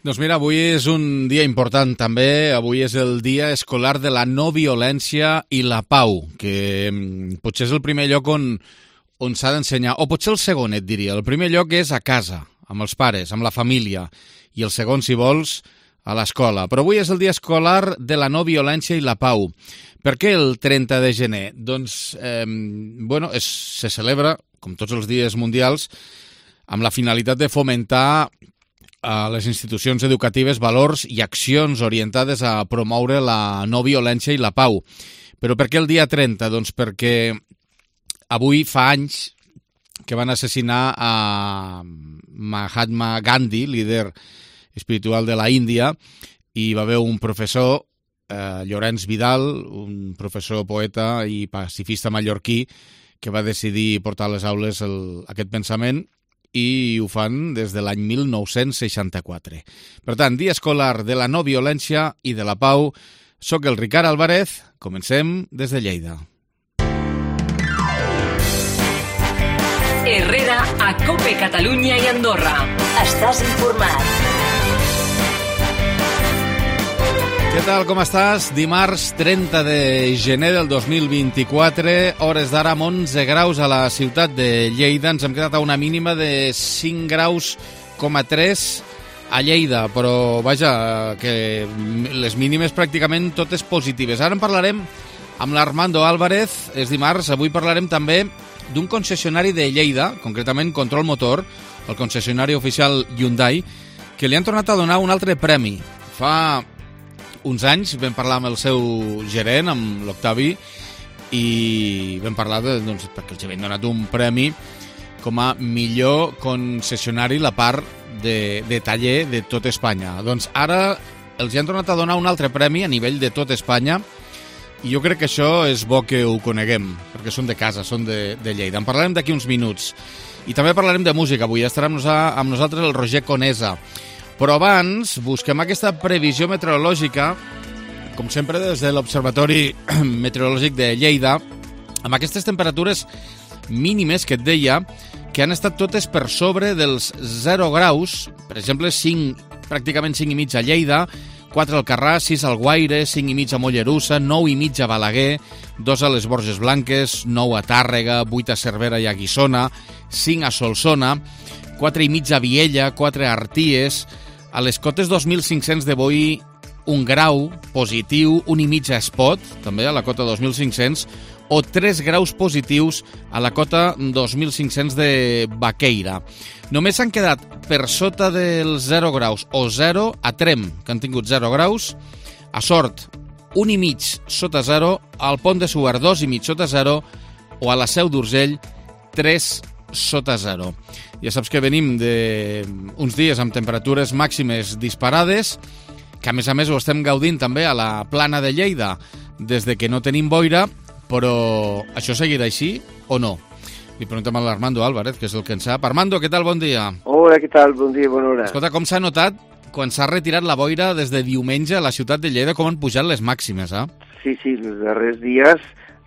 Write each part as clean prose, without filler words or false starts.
Doncs mira, avui és un dia important també. Avui és el Dia Escolar de la No Violència i la Pau, que potser és el primer lloc on s'ha d'ensenyar, o potser el segon, et diria. El primer lloc és a casa, amb els pares, amb la família, i el segon, si vols, a l'escola. Però avui és el Dia Escolar de la No Violència i la Pau. Per què el 30 de gener? Doncs, se celebra, com tots els dies mundials, amb la finalitat de fomentar a les institucions educatives valors i accions orientades a promoure la no violència i la pau. Però per què el dia 30? Doncs perquè avui fa anys que van assassinar a Mahatma Gandhi, líder espiritual de la Índia, i va haver un professor, Llorenç Vidal, un professor poeta i pacifista mallorquí, que va decidir portar a les aules aquest pensament, i ho fan des de l'any 1964. Per tant, Dia Escolar de la No Violència i de la Pau. Soc el Ricard Álvarez. Comencem des de Lleida. Herrera, a COPE Catalunya i Andorra. Estàs informat. Què tal, com estàs? Dimarts 30 de gener del 2024, hores d'ara amb 11 graus a la ciutat de Lleida. Ens hem quedat a una mínima de 5 graus, 3 a Lleida, però vaja, que les mínimes pràcticament totes positives. Ara en parlarem amb l'Armando Álvarez, és dimarts. Avui parlarem també d'un concessionari de Lleida, concretament Control Motor, el concessionari oficial Hyundai, que li han tornat a donar un altre premi. Fa uns anys vam parlar amb el seu gerent, amb l'Octavi, i vam parlar perquè els havien donat un premi com a millor concessionari la part de taller de tot Espanya. Doncs ara els han tornat a donar un altre premi a nivell de tot Espanya, i jo crec que això és bo que ho coneguem, perquè són de casa, són de Lleida. En parlarem d'aquí uns minuts. I també parlarem de música. Avui estarà amb nosaltres el Roger Conesa. Però abans busquem aquesta previsió meteorològica, com sempre des de l'Observatori Meteorològic de Lleida, amb aquestes temperatures mínimes que et deia, que han estat totes per sobre dels 0 graus, per exemple, pràcticament 5,5 a Lleida, 4 al Carràs, 6 al Guaire, 5,5 a Mollerussa, 9,5 a Balaguer, 2 a les Borges Blanques, 9 a Tàrrega, 8 a Cervera i a Guissona, 5 a Solsona, 4,5 a Viella, 4 a Arties, a les cotes 2.500 de Boí, 1 grau positiu, 1,5 a Espot, també a la cota 2.500, o 3 graus positius a la cota 2.500 de Baqueira. Només s'han quedat per sota dels 0 graus o 0 a Trem, que han tingut 0 graus, a Sort 1,5 sota 0, al Pont de Suert 2,5 sota 0, o a la Seu d'Urgell 3 sota 0. Ja saps que venim d'uns dies amb temperatures màximes disparades, que a més ho estem gaudint també a la plana de Lleida des de que no tenim boira, però això seguirà així o no? Li preguntem a l'Armando Álvarez, que és el que en sap. Armando, què tal? Bon dia. Hola, què tal? Bon dia, bona hora. Escolta, com s'ha notat quan s'ha retirat la boira des de diumenge a la ciutat de Lleida, com han pujat les màximes, eh? Sí, els darrers dies,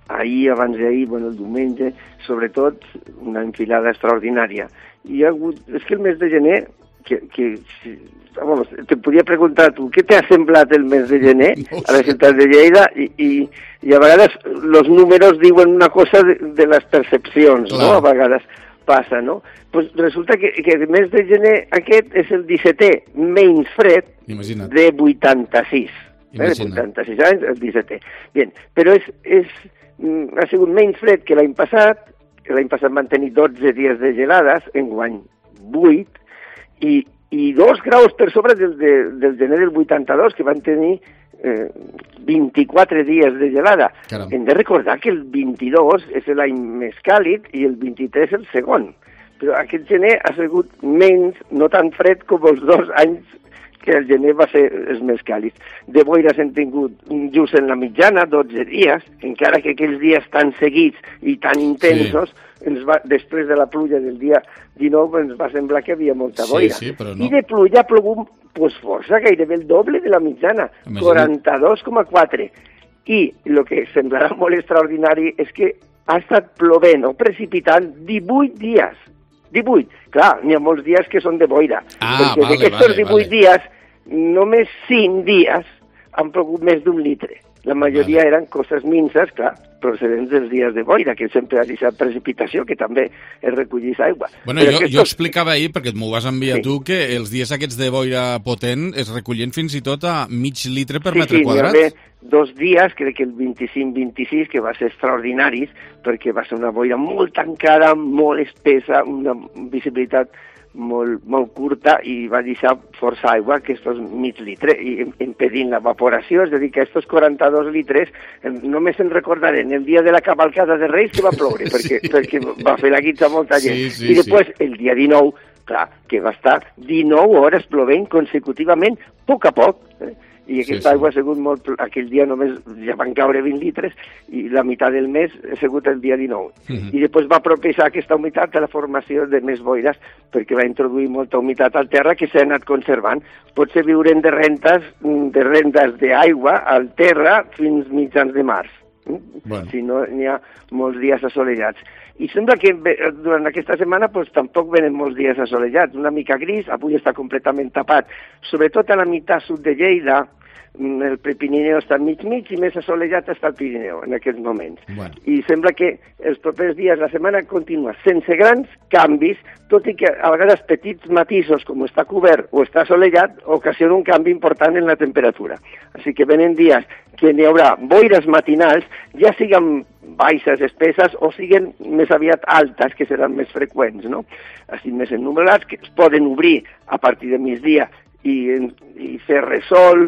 ahir, abans d'ahir, el diumenge, sobretot una enfilada extraordinària. I hi ha hagut... És que el mes de gener, te podia preguntar tu, què t'ha semblat el mes de gener a la ciutat de Lleida? I a vegades els números diuen una cosa de les percepcions, clar, no? A vegades passa, no? Pues resulta que el mes de gener aquest és el 17è menys fred de 86. De 86 anys, el 17è. Bien, però ha sigut menys fred que l'any passat van tenir 12 dies de gelades, enguany 8, i 2 graus per sobre del gener del 82, que van tenir 24 dies de gelada. Caram. Hem de recordar que el 22 és l'any més càlid i el 23 el segon. Però aquest gener ha sigut menys, no tan fred com els 2 anys que el gener va ser els més càlids. De boires hem tingut just en la mitjana, 12 dies, encara que aquells dies tan seguits i tan intensos, després de la pluja del dia 19 ens va semblar que havia molta boira. Sí, però no. I de pluja ha plogut força, gairebé el doble de la mitjana, 42,4. I el que semblarà molt extraordinari és que ha estat plovent o precipitant 18 dies. 18. Clar, n'hi ha molts dies que són de boira. Perquè d'aquests 18 dies només 5 dies han plogut més d'1 litre. La majoria eren coses minces, clar, procedents dels dies de boira, que sempre ha deixat precipitació, que també es recollís aigua. Bueno, jo explicava ahir, perquè m'ho vas enviar tu, que els dies aquests de boira potent es recollien fins i tot a mig litre per metre quadrat. Sí, hi va haver 2 dies, crec que el 25-26, que va ser extraordinaris, perquè va ser una boira molt tancada, molt espessa, una visibilitat molt curta, i va deixar força aigua, aquests mig litre, i impedint l'evaporació, és a dir, que aquests 42 litres només se'n recordarem el dia de la cavalcada de Reis que va ploure, perquè va fer la guitza molta gent. I després, el dia 19, clar, que va estar 19 hores plovent consecutivament, a poc, i aquesta aigua ha sigut molt... Aquell dia només ja van caure 20 litres i la meitat del mes ha sigut el dia 19. I després va propiciar aquesta humitat a la formació de més boires perquè va introduir molta humitat al terra que s'ha anat conservant. Potser viurem de rendes d'aigua al terra fins mitjans de març. Si no n'hi ha molts dies assolellats. I sembla que durant aquesta setmana tampoc venen molts dies assolellats, una mica gris, avui està completament tapat, sobretot a la meitat sud de Lleida, el Prepirineu està mig i més assolellat està el Pirineu en aquests moments. I sembla que els propers dies, la setmana continua sense grans canvis, tot i que a vegades petits matisos, com està cobert o està assolellat, ocasionen un canvi important en la temperatura. Així que venen dies que n'hi haurà boires matinals, ja siguin baixes, espesses, o siguin més aviat altes, que seran més freqüents, no? Així més ennumerats, que es poden obrir a partir de migdia i fer resol,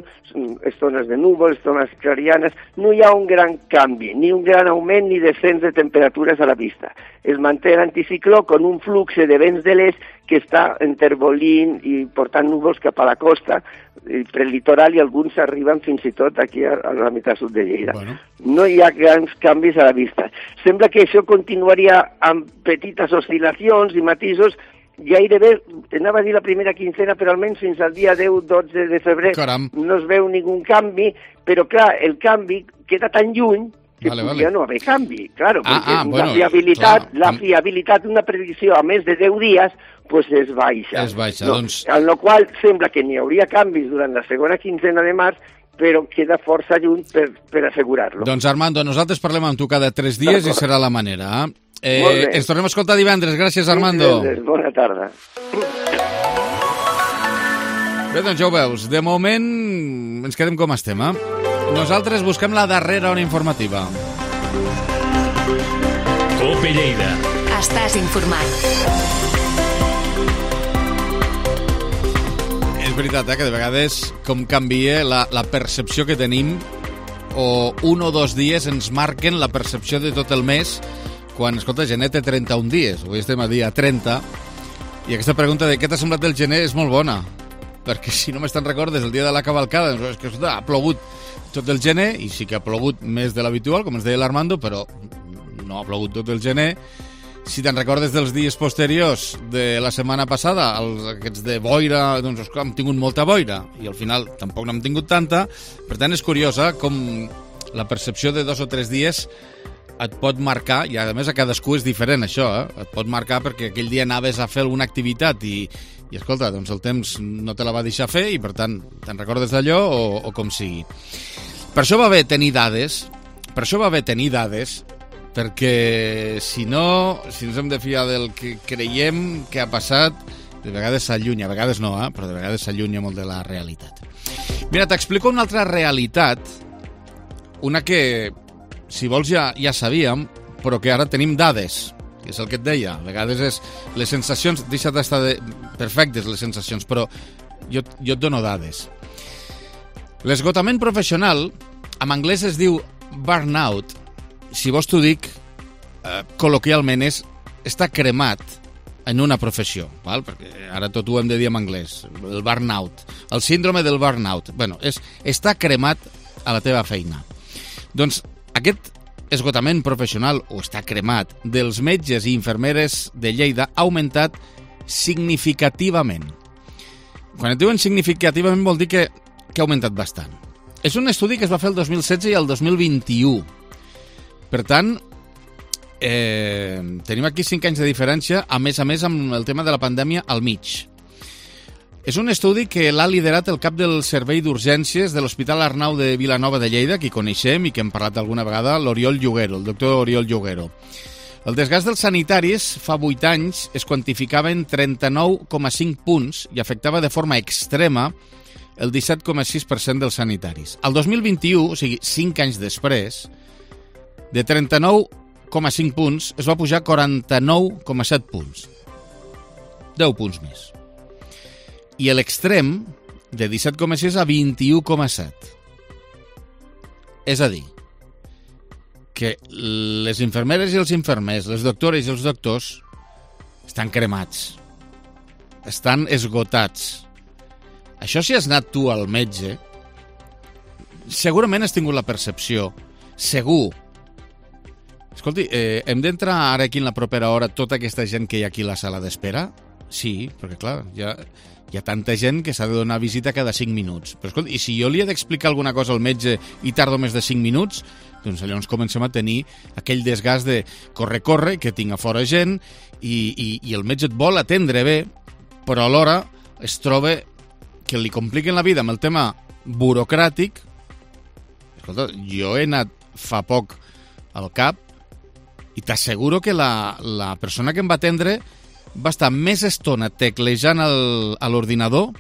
estones de núvols, estones clarianes. No hi ha un gran canvi, ni un gran augment ni descens de temperatures a la vista. Es manté l'anticicló con un flux de vents de l'est que està enterbolint i portant núvols cap a la costa, per el litoral, i alguns arriben fins i tot aquí a la meitat sud de Lleida. No hi ha grans canvis a la vista. Sembla que això continuaria amb petites oscil·lacions i matisos gairebé, anava a dir la primera quincena, però almenys fins al dia 10-12 de febrer no es veu ningú canvi, però clar, el canvi queda tan lluny que podria no haver canvi, claro, perquè la fiabilitat d'una predicció a més de 10 dies és baixa. En la qual sembla que n'hi hauria canvis durant la segona quincena de març, però queda força lluny per assegurar-lo. Doncs Armando, nosaltres parlem amb tu cada 3 dies i serà la manera. Ens tornem a escoltar divendres. Gràcies, Armando. Bona tarda. Bé, doncs ja ho veus. De moment ens quedem com estem, Nosaltres busquem la darrera hora informativa. COPE Lleida. Estàs informat. És veritat, que de vegades com canvia la percepció que tenim, o 1 o 2 dies ens marquen la percepció de tot el mes. Quan, escolta, gener té 31 dies, avui estem a dia 30, i aquesta pregunta de què t'ha semblat el gener és molt bona, perquè si només te'n recordes el dia de la cavalcada, doncs és que escolta, ha plogut tot el gener, i sí que ha plogut més de l'habitual, com ens deia l'Armando, però no ha plogut tot el gener. Si te'n recordes dels dies posteriors de la setmana passada, aquests de boira, doncs hem tingut molta boira, i al final tampoc n'hem tingut tanta. Per tant, és curiosa com la percepció de 2 o 3 dies et pot marcar, i a més a cadascú és diferent això, et pot marcar perquè aquell dia anaves a fer alguna activitat i escolta, doncs el temps no te la va deixar fer i per tant te'n recordes d'allò o com sigui. Per això va bé tenir dades, perquè si no, si ens hem de fiar del que creiem que ha passat, de vegades s'allunya, a vegades no, però de vegades s'allunya molt de la realitat. Mira, t'explico una altra realitat, una que si vols ja sabíem, però que ara tenim dades, que és el que et deia. A vegades és les sensacions, deixa d'estar perfectes les sensacions, però jo et dono dades. L'esgotament professional, en anglès es diu burnout. Si vols t'ho dic, col·loquialment és estar cremat en una professió, val? Perquè ara tot ho hem de dir en anglès, el burnout, el síndrome del burnout. Bueno, és estar cremat a la teva feina. Doncs aquest esgotament professional, o estar cremat, dels metges i infermeres de Lleida ha augmentat significativament. Quan et diuen significativament vol dir que ha augmentat bastant. És un estudi que es va fer el 2016 i el 2021. Per tant, tenim aquí 5 anys de diferència, a més amb el tema de la pandèmia al mig. És un estudi que l'ha liderat el cap del Servei d'Urgències de l'Hospital Arnau de Vilanova de Lleida, que coneixem i que hem parlat alguna vegada, l'Oriol Lloguero, el doctor Oriol Lloguero. El desgast dels sanitaris fa 8 anys es quantificava en 39,5 punts i afectava de forma extrema el 17,6% dels sanitaris. El 2021, o sigui, 5 anys després, de 39,5 punts es va pujar a 49,7 punts. 10 punts més. I l'extrem, de 17,6 a 21,7. És a dir, que les infermeres i els infermers, les doctores i els doctors estan cremats, estan esgotats. Això si has anat tu al metge, segurament has tingut la percepció, segur. Escolti, hem d'entrar ara aquí en la propera hora tota aquesta gent que hi ha aquí a la sala d'espera? Sí, perquè clar, hi ha tanta gent que s'ha de donar visita cada 5 minuts. Però escolta, i si jo li he d'explicar alguna cosa al metge i tardo més de 5 minuts, doncs llavors comencem a tenir aquell desgast de corre, que tinc a fora gent i el metge et vol atendre bé, però alhora es troba que li compliquen la vida amb el tema burocràtic. Escolta, jo he anat fa poc al CAP i t'asseguro que la persona que em va atendre va estar més estona teclejant a l'ordinador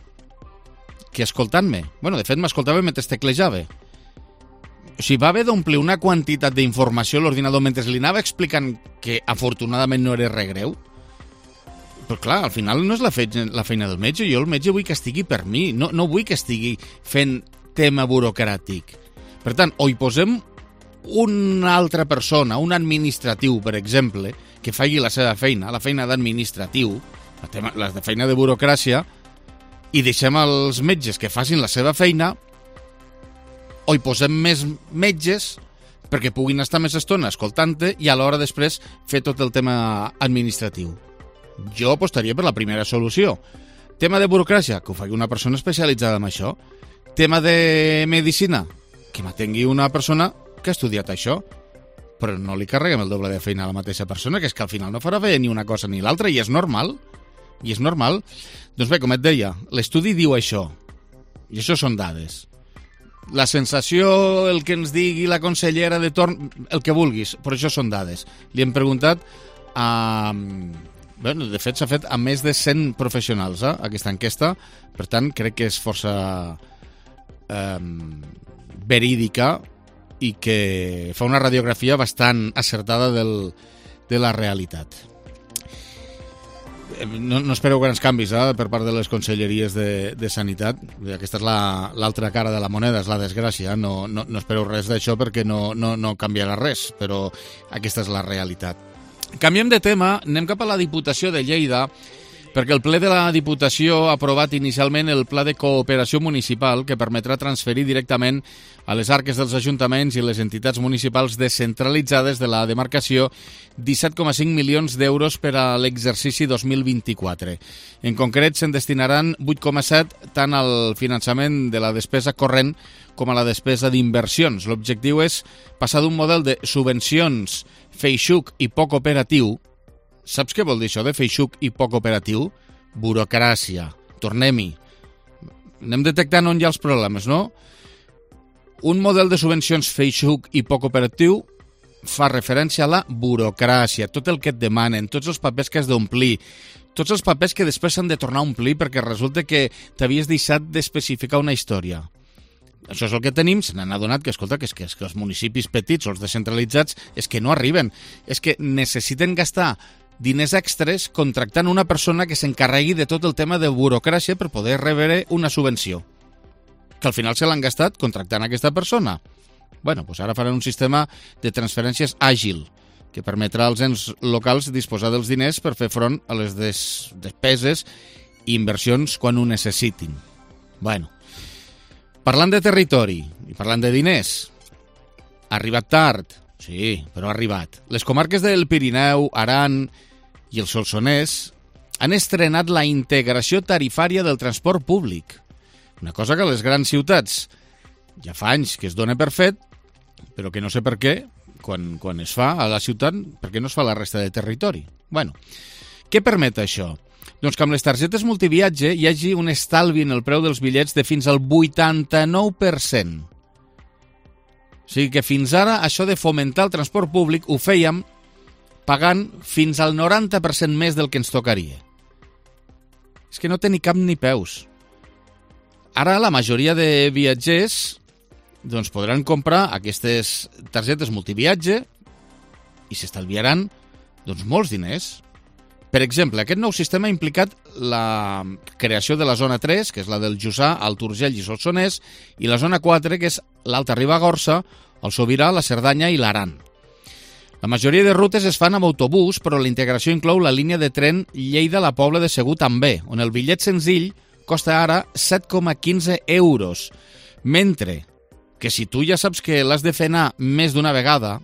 que escoltant-me. Bueno, de fet, m'escoltava mentre teclejava. O sigui, va haver d'omplir una quantitat d'informació a l'ordinador mentre li anava explicant que, afortunadament, no era res greu. Però, clar, al final no és la feina del metge. Jo el metge vull que estigui per mi. No vull que estigui fent tema burocràtic. Per tant, o hi posem una altra persona, un administratiu, per exemple, que faci la seva feina, la feina d'administratiu, la feina de burocràcia, i deixem els metges que facin la seva feina, o hi posem més metges perquè puguin estar més estona escoltant-te i alhora després fer tot el tema administratiu. Jo apostaria per la primera solució. Tema de burocràcia, que ho faci una persona especialitzada en això. Tema de medicina, que m'atengui una persona que ha estudiat això, però no li carreguem el doble de feina a la mateixa persona, que és que al final no farà bé ni una cosa ni l'altra, i és normal. I és normal. Doncs bé, com et deia, l'estudi diu això, i això són dades. La sensació, el que ens digui la consellera de torn, el que vulguis, però això són dades. Li hem preguntat a... Bueno, de fet, s'ha fet a més de 100 professionals, aquesta enquesta, per tant, crec que és força verídica i que fa una radiografia bastant acertada de la realitat. No espereu grans canvis per part de les conselleries de Sanitat. Aquesta és l'altra cara de la moneda, és la desgràcia. No espereu res d'això perquè no canviarà res, però aquesta és la realitat. Canviem de tema, anem cap a la Diputació de Lleida, perquè el ple de la Diputació ha aprovat inicialment el Pla de Cooperació Municipal que permetrà transferir directament a les arques dels ajuntaments i les entitats municipals descentralitzades de la demarcació 17,5 milions d'euros per a l'exercici 2024. En concret, se'n destinaran 8,7 tant al finançament de la despesa corrent com a la despesa d'inversions. L'objectiu és passar d'un model de subvencions feixuc i poc operatiu. Saps què vol dir això de feixuc i poc operatiu? Burocràcia. Tornem-hi. Anem detectant on hi ha els problemes, no? Un model de subvencions feixuc i poc operatiu fa referència a la burocràcia, tot el que et demanen, tots els papers que has d'omplir, tots els papers que després s'han de tornar a omplir perquè resulta que t'havies deixat d'especificar una història. Això és el que tenim, se n'han adonat que, escolta, que els municipis petits o els descentralitzats és que no arriben, és que necessiten gastar diners extres contractant una persona que s'encarregui de tot el tema de burocràcia per poder rebre una subvenció. Que al final se l'han gastat contractant aquesta persona. Bueno, doncs ara faran un sistema de transferències àgil que permetrà als ens locals disposar dels diners per fer front a les despeses i inversions quan ho necessitin. Bueno, parlant de territori i parlant de diners, ha arribat tard, sí, però ha arribat. Les comarques del Pirineu, Aran i el Solsonès han estrenat la integració tarifària del transport públic. Una cosa que a les grans ciutats ja fa anys que es dona per fet, però que no sé per què, quan es fa a la ciutat, per què no es fa a la resta de territori? Bueno, què permet això? Doncs que amb les targetes multiviatge hi hagi un estalvi en el preu dels bitllets de fins al 89%. O sigui que fins ara això de fomentar el transport públic ho fèiem pagant fins al 90% més del que ens tocaria. És que no té ni cap ni peus. Ara la majoria de viatgers doncs podran comprar aquestes targetes multiviatge i s'estalviaran doncs molts diners. Per exemple, aquest nou sistema ha implicat la creació de la zona 3, que és la del Jussà, Alt Urgell i Solsonès, i la zona 4, que és l'Alta Ribagorça, el Sobirà, la Cerdanya i l'Aran. La majoria de rutes es fan amb autobús, però la integració inclou la línia de tren Lleida-La Pobla de Segur també, on el bitllet senzill costa ara 7,15 euros, mentre que si tu ja saps que l'has de fer anar més d'una vegada,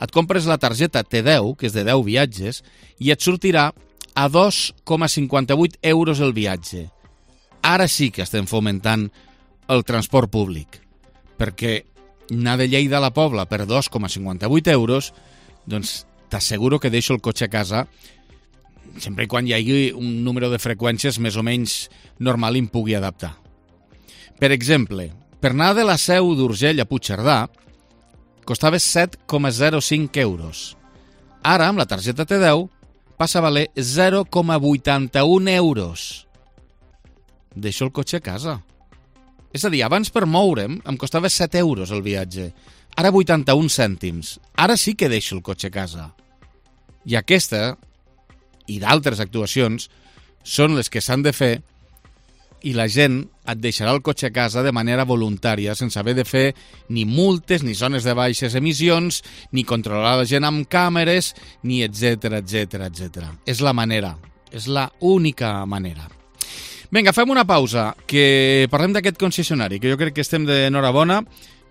et compres la targeta T10, que és de 10 viatges, i et sortirà a 2,58 euros el viatge. Ara sí que estem fomentant el transport públic, perquè anar de Lleida a la Pobla per 2,58 euros, doncs t'asseguro que deixo el cotxe a casa sempre quan hi hagi un número de freqüències més o menys normal i em pugui adaptar. Per exemple, per anar de la Seu d'Urgell a Puigcerdà costava 7,05 euros. Ara, amb la targeta T10, passa a valer 0,81 euros. Deixo el cotxe a casa. És a dir, abans per moure'm em costava 7 euros el viatge. Ara 81 cèntims. Ara sí que deixo el cotxe a casa. I aquesta, i d'altres actuacions, són les que s'han de fer i la gent et deixarà el cotxe a casa de manera voluntària, sense haver de fer ni multes, ni zones de baixes emissions, ni controlar la gent amb càmeres, ni etc etc. És la manera, és la única manera. Vinga, fem una pausa, que parlem d'aquest concessionari, que jo crec que estem d'enhorabona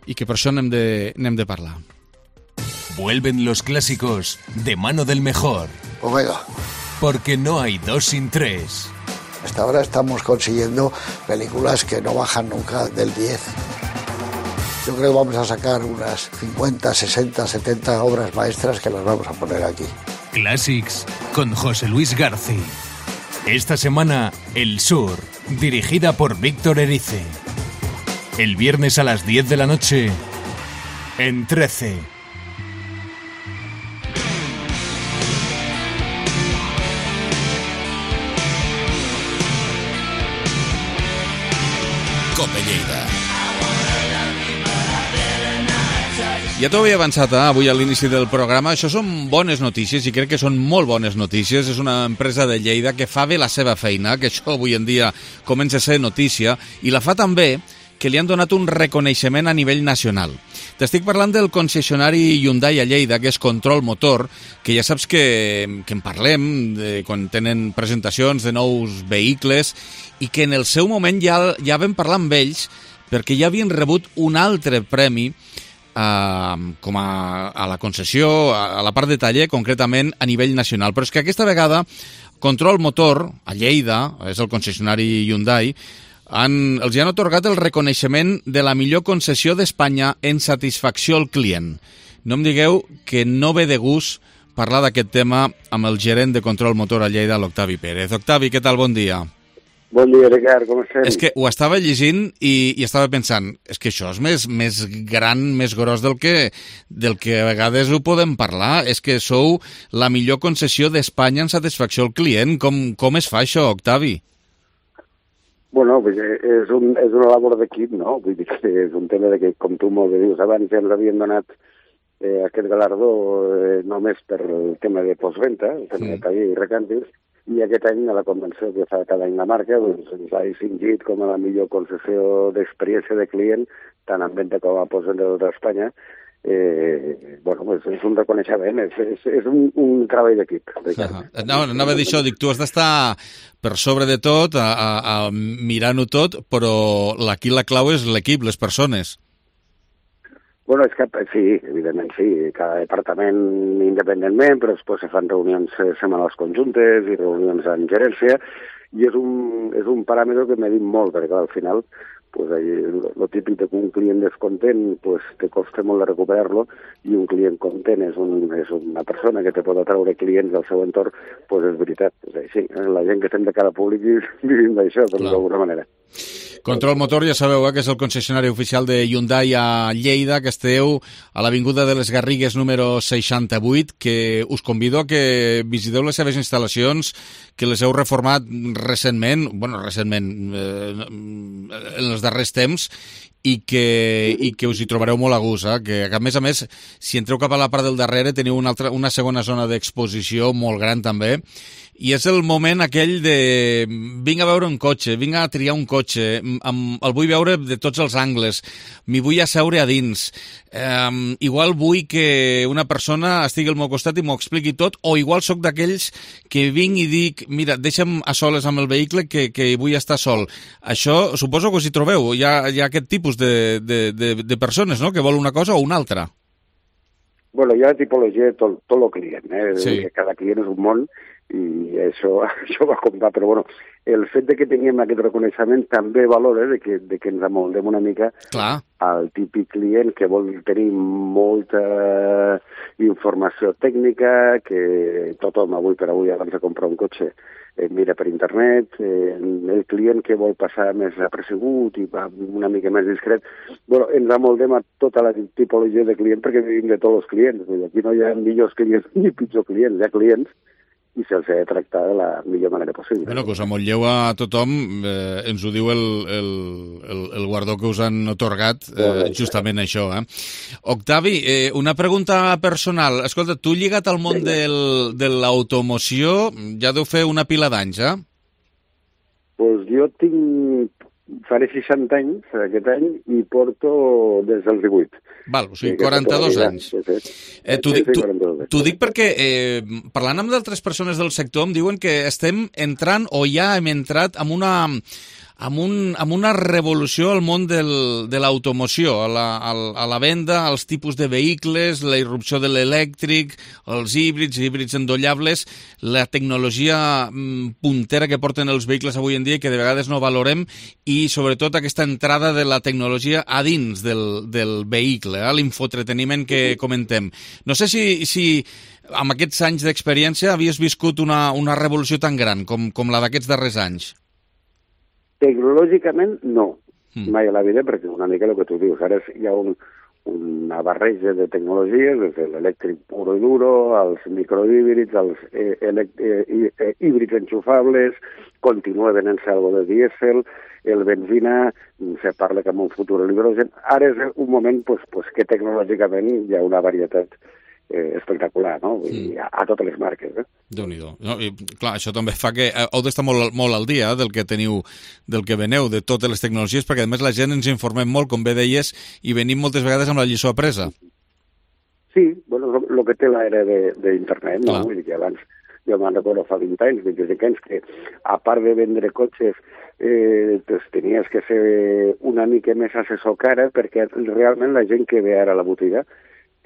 i que per això n'hem de parlar. Vuelven los clásicos de mano del mejor. Omega. Porque no hay dos sin tres. Hasta ahora estamos consiguiendo películas que no bajan nunca del 10. Yo creo que vamos a sacar unas 50, 60, 70 obras maestras que las vamos a poner aquí. Classics con José Luis García. Esta semana, El Sur, dirigida por Víctor Erice. El viernes a las 10 de la noche, en 13. Cope Lleida. Ja t'ho havia avançat avui a l'inici del programa. Això són bones notícies i crec que són molt bones notícies. És una empresa de Lleida que fa bé la seva feina, que això avui en dia comença a ser notícia, i la fa també que li han donat un reconeixement a nivell nacional. T'estic parlant del concessionari Hyundai a Lleida, que és Control Motor, que ja saps que en parlem quan tenen presentacions de nous vehicles i que en el seu moment ja vam parlar amb ells perquè ja havien rebut un altre premi com a la concessió, a la part de taller, concretament a nivell nacional. Però és que aquesta vegada Control Motor, a Lleida, és el concessionari Hyundai, els han atorgat el reconeixement de la millor concessió d'Espanya en satisfacció al client. No em digueu que no ve de gust parlar d'aquest tema amb el gerent de Control Motor a Lleida, l'Octavi Pérez. Octavi, què tal? Bon dia. Bon dia, Ricard, com estem? És que ho estava llegint i estava pensant, és que això és més gran, més gros del que a vegades ho podem parlar. És que sou la millor concessió d'Espanya en satisfacció al client. Com es fa això, Octavi? Bueno, és una labor d'equip, no? Vull dir que és un tema de que, com tu molt bé dius abans, ja ens havien donat aquest galardó només per el tema de postventa, el tema de taller i recàntirs, i aquest any, a la convenció que fa cada any la marca, doncs, ens ha distingit com a la millor concessió d'experiència de client, tant en venda com a postvenda de tota Espanya. Bueno, és un reconeixement, és un treball d'equip. No, anava a dir això, dic, tu has d'estar per sobre de tot, mirant-ho tot, però aquí la clau és l'equip, les persones. Bueno, és que sí, evidentment sí, cada departament independentment, però després se fan reunions setmanals conjuntes i reunions en gerència, i és un paràmetre que m'he dit molt, perquè al final pues, lo típic de que un client descontent pues, te costa molt de recuperar-lo i un client content és una persona que te pot atraure clients del seu entorn, pues és veritat. És així. La gent que estem de cara públic vivim d'això, per d'alguna manera. Control Motor, ja sabeu, que és el concessionari oficial de Hyundai a Lleida, que esteu a l'Avinguda de les Garrigues número 68, que us convido a que visiteu les seves instal·lacions, que les heu reformat recentment, en els darrers temps, i que us hi trobareu molt a gust, que a més, si entreu cap a la part del darrere teniu una segona zona d'exposició molt gran també, i és el moment aquell de vinc a veure un cotxe, vinc a triar un cotxe, el vull veure de tots els angles, m'hi vull asseure a dins, igual vull que una persona estigui al meu costat i m'ho expliqui tot, o igual sóc d'aquells que vinc i dic, mira, deixa'm a soles amb el vehicle que vull estar sol. Això suposo que us hi trobeu, hi ha aquest tipus de persones, no?, que vol una cosa o una altra. Bueno, hi ha tipologia de tot el client, Sí. Cada client és un món, i això va comptar, però bueno, el fet de que tinguem aquest reconeixement també valora de que ens amoldem una mica al típic client que vol tenir molta informació tècnica, que tothom avui per avui abans de comprar un cotxe mira per internet, el client que vol passar més apercebut i va una mica més discret. Bueno, ens amoldem a tota la tipologia de client perquè vivim de tots els clients. Aquí no hi ha millors clients ni pitjors clients, hi ha clients i se'ls ha de tractar de la millor manera possible. Bueno, que us amolleu a tothom, ens ho diu el guardó que us han otorgat, justament això. Octavi, una pregunta personal. Escolta, tu lligat al món de l'automoció ja deu fer una pila d'anys, Pues jo faré 60 anys aquest any i porto des dels 18. Val, o sigui, 42 anys. T'ho dic perquè, parlant amb d'altres persones del sector, em diuen que estem entrant, o ja hem entrat, amb una revolució al món de l'automoció, a la venda, als tipus de vehicles, la irrupció de l'elèctric, els híbrids endollables, la tecnologia puntera que porten els vehicles avui en dia i que de vegades no valorem, i sobretot aquesta entrada de la tecnologia a dins del vehicle, l'infotreteniment que comentem. No sé si amb aquests anys d'experiència havies viscut una revolució tan gran com la d'aquests darrers anys. Tecnològicament, no. Mai a la vida, perquè una mica el que tu dius. Ara hi ha una barreja de tecnologies, des de l'elèctric puro i duro, els microhíbrids, els híbrids enxufables, continua venent-se algo de dièsel, el benzina, se parla que en un futur l'hidrogen. Ara és un moment que tecnològicament hi ha una varietat espectacular, no? A totes les marques. Déu-n'hi-do. No, i, clar, això també fa que heu d'estar molt al dia del que teniu, del que veneu, de totes les tecnologies, perquè a més la gent ens informem molt, com bé deies, i venim moltes vegades amb la lliçó apresa. Sí, bueno, el que té l'era d'internet, no? Vull dir que abans, jo me'n recordo fa 20 anys, 25 anys, que a part de vendre cotxes tenies que ser una mica més assessor cara, perquè realment la gent que ve ara a la botiga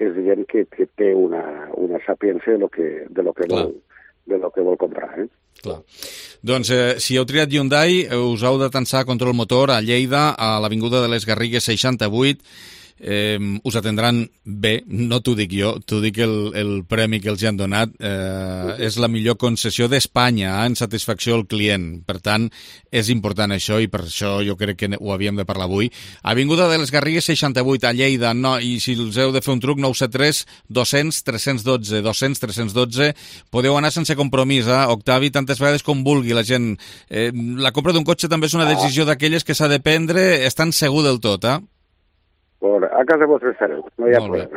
és gent que té una sapiència de lo que vol comprar. Clar. Doncs si heu triat Hyundai, us heu d'atansar a Control Motor a Lleida, a l'Avinguda de les Garrigues 68. Us atendran bé, no t'ho dic jo, t'ho dic el premi que els han donat. És la millor concessió d'Espanya en satisfacció al client. Per tant, és important això, i per això jo crec que ho havíem de parlar avui. Avinguda de les Garrigues 68 a Lleida, i si els heu de fer un truc, 973 200 312 200 312. Podeu anar sense compromís, Octavi, tantes vegades com vulgui la gent. La compra d'un cotxe també és una decisió d'aquelles que s'ha de prendre estant segur del tot, A casa vostra estareu, no hi ha problema.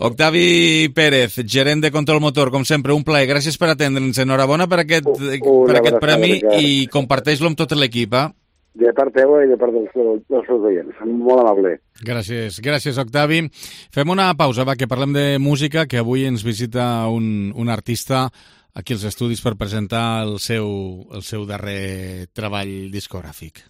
Octavi Pérez, gerent de Control Motor, com sempre, un plaer. Gràcies per atendre'ns. Enhorabona per aquest premi i comparteix-lo amb tot l'equip. De part teva i de part dels seus oients. Molt amable. Gràcies, Octavi. Fem una pausa, que parlem de música, que avui ens visita un artista aquí als estudis per presentar el seu darrer treball discogràfic.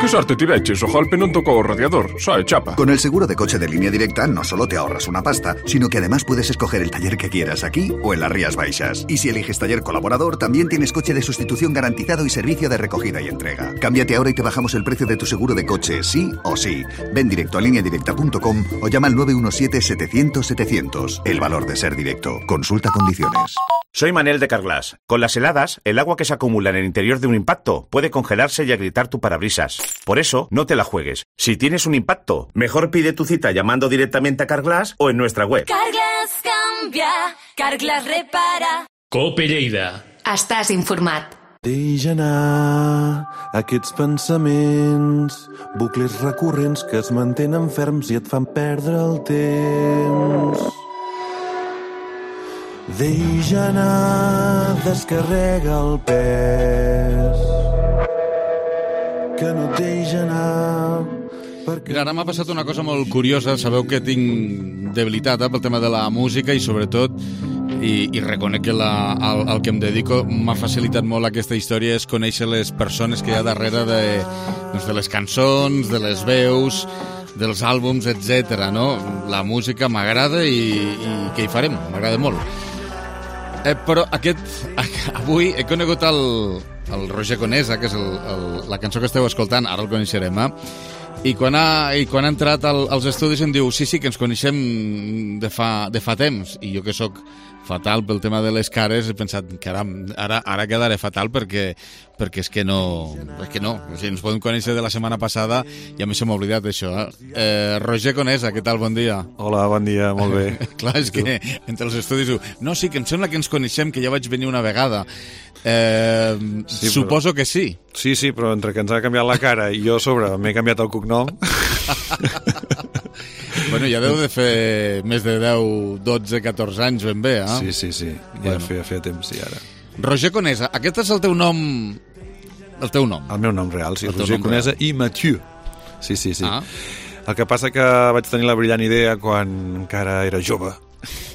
Qué suerte tireches, ojalá no tocó el radiador, sabe chapa. Con el seguro de coche de Línea Directa no solo te ahorras una pasta, sino que además puedes escoger el taller que quieras aquí o en las Rías Baixas. Y si eliges taller colaborador, también tienes coche de sustitución garantizado y servicio de recogida y entrega. Cámbiate ahora y te bajamos el precio de tu seguro de coche, sí o sí. Ven directo a lineadirecta.com o llama al 917-700-700. El valor de ser directo. Consulta condiciones. Soy Manel de Carglass. Con las heladas, el agua que se acumula en el interior de un impacto puede congelarse y agrietar tu parabrisas. Por eso, no te la juegues. Si tienes un impacto, mejor pide tu cita llamando directamente a Carglass o en nuestra web. Carglass canvia, Carglass repara. Cope Lleida. Estàs informat. Deix anar aquests pensaments, bucles recurrents que es mantenen ferms i et fan perdre el temps. Deix anar, descarrega el pes, que no et deix anar... Mira, ara m'ha passat una cosa molt curiosa. Sabeu que tinc debilitat pel tema de la música i sobretot, i reconec que el que em dedico m'ha facilitat molt aquesta història, és conèixer les persones que hi ha darrere de les cançons, de les veus, dels àlbums, etc. No? La música m'agrada i què hi farem? M'agrada molt. Però avui he conegut el Roger Conesa, que és la cançó que esteu escoltant, ara el coneixerem, i quan ha entrat als estudis em diu sí, que ens coneixem de fa temps, i jo que sóc fatal pel tema de les cares he pensat, caram, ara quedaré fatal perquè és que no, o sigui, ens podem conèixer de la setmana passada i a mi se m'ha oblidat això. Roger Conesa, què tal? Bon dia. Hola, bon dia, molt bé. Clar, és que entre els estudis no, sí, que em sembla que ens coneixem, que ja vaig venir una vegada. Sí, suposo que sí. Sí, però entre que ens ha canviat la cara i jo a sobre m'he canviat el cognom... Bueno, ja deu de fer més de 10, 12, 14 anys ben bé, Sí. Ja feia temps, sí, ara. Roger Conesa, aquest és el teu nom... El teu nom? El meu nom real, sí. Roger Conesa i Mathieu. Sí. El que passa que vaig tenir la brillant idea quan encara era jove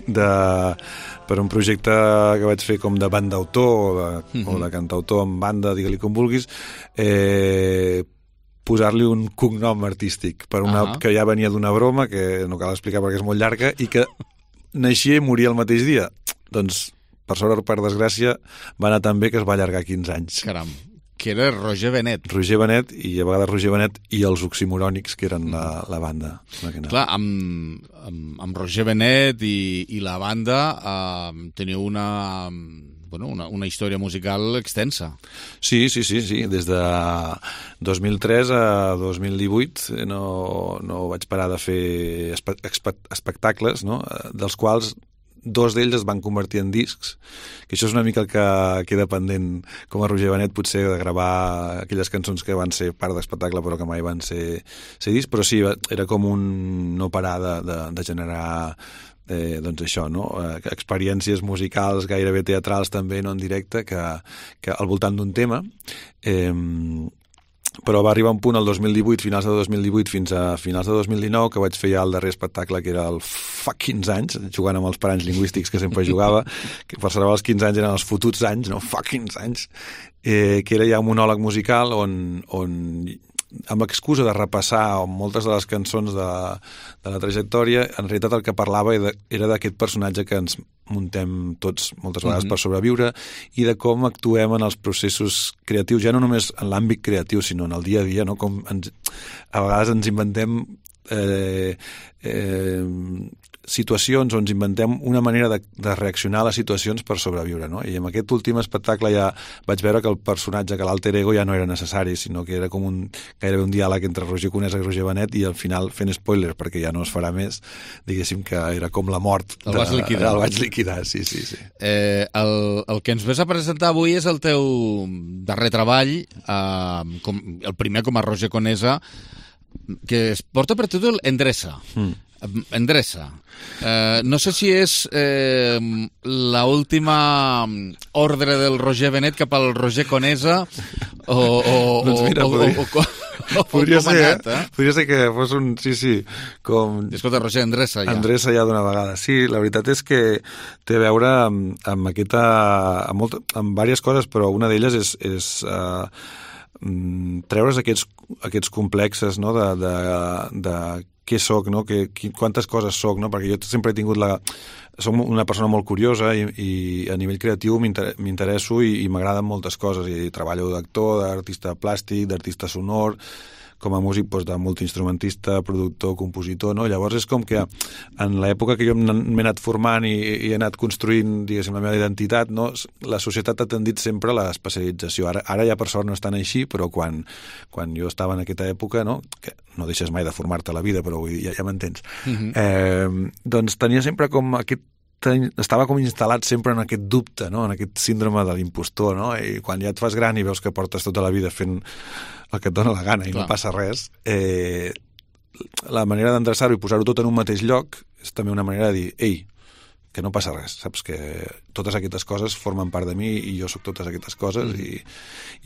per un projecte que vaig fer com de banda-autor o de cantautor en banda, digue-li com vulguis, posar-li un cognom artístic que ja venia d'una broma que no cal explicar perquè és molt llarga i que naixia i moria el mateix dia. Doncs, per sort o per desgràcia, va anar tan bé que es va allargar 15 anys. Caram, que era Roger Benet. Roger Benet, i a vegades Roger Benet i els Oximorònics, que eren la banda. Clar, amb Roger Benet i la banda teniu una història musical extensa. Sí. Des de 2003 a 2018 no vaig parar de fer espectacles, no? Dels quals 2 d'ells es van convertir en discs, que això és una mica el que queda pendent com a Roger Benet, potser de gravar aquelles cançons que van ser part d'espectacle però que mai van ser discs, però sí, era com un no parar de generar doncs això, no? Experiències musicals, gairebé teatrals també, no en directe, que al voltant d'un tema, però va arribar un punt al 2018, finals de 2018 fins a finals de 2019, que vaig fer ja el darrer espectacle, que era el fa 15 anys, jugant amb els paranys lingüístics que sempre jugava, que per celebrar els 15 anys eren els fotuts anys, no? Fa 15 anys, que era ja un monòleg musical on amb excusa de repassar moltes de les cançons de la trajectòria, en realitat el que parlava era d'aquest personatge que ens muntem tots moltes vegades per sobreviure i de com actuem en els processos creatius, ja no només en l'àmbit creatiu, sinó en el dia a dia, no? Com a vegades ens inventem situacions on ens inventem una manera de reaccionar a les situacions per sobreviure, no? I en aquest últim espectacle ja vaig veure que el personatge, que l'alter ego ja no era necessari, sinó que era com gairebé un diàleg entre Roger Conesa i Roger Benet, i al final, fent spoiler perquè ja no es farà més, diguéssim que era com la mort. El vaig liquidar, sí. El que ens ves a presentar avui és el teu darrer treball, el primer com a Roger Conesa, que es porta per títol Endreça. Endreça. No sé si és la última ordre del Roger Benet cap al Roger Conesa doncs mira, podria ser que fos un... Sí, com... Escolta, Roger, endreça ja. Endreça ja d'una vegada. Sí, la veritat és que té a veure amb aquesta... amb diverses coses, però una d'elles és treure's aquests complexes, no?, de què soc, no?, quantes coses soc, no?, perquè jo sempre he tingut soc una persona molt curiosa i a nivell creatiu m'interesso i m'agraden moltes coses, i treballo d'actor, d'artista plàstic, d'artista sonor, com a músic, doncs, de multiinstrumentista, productor, compositor, no? Llavors és com que en l'època que jo m'he anat formant i he anat construint, diguéssim, la meva identitat, no? La societat ha tendit sempre a l'especialització. Ara ja per sort no estan així, però quan jo estava en aquesta època, no? Que no deixes mai de formar-te a la vida, però vull dir, ja m'entens. Doncs tenia sempre com estava com instal·lat sempre en aquest dubte, no?, en aquest síndrome de l'impostor, no? I quan ja et fas gran i veus que portes tota la vida fent el que et dona la gana i no passa res, la manera d'endreçar-ho i posar-ho tot en un mateix lloc és també una manera de dir, ei, que no passa res, saps que totes aquestes coses formen part de mi i jo sóc totes aquestes coses, i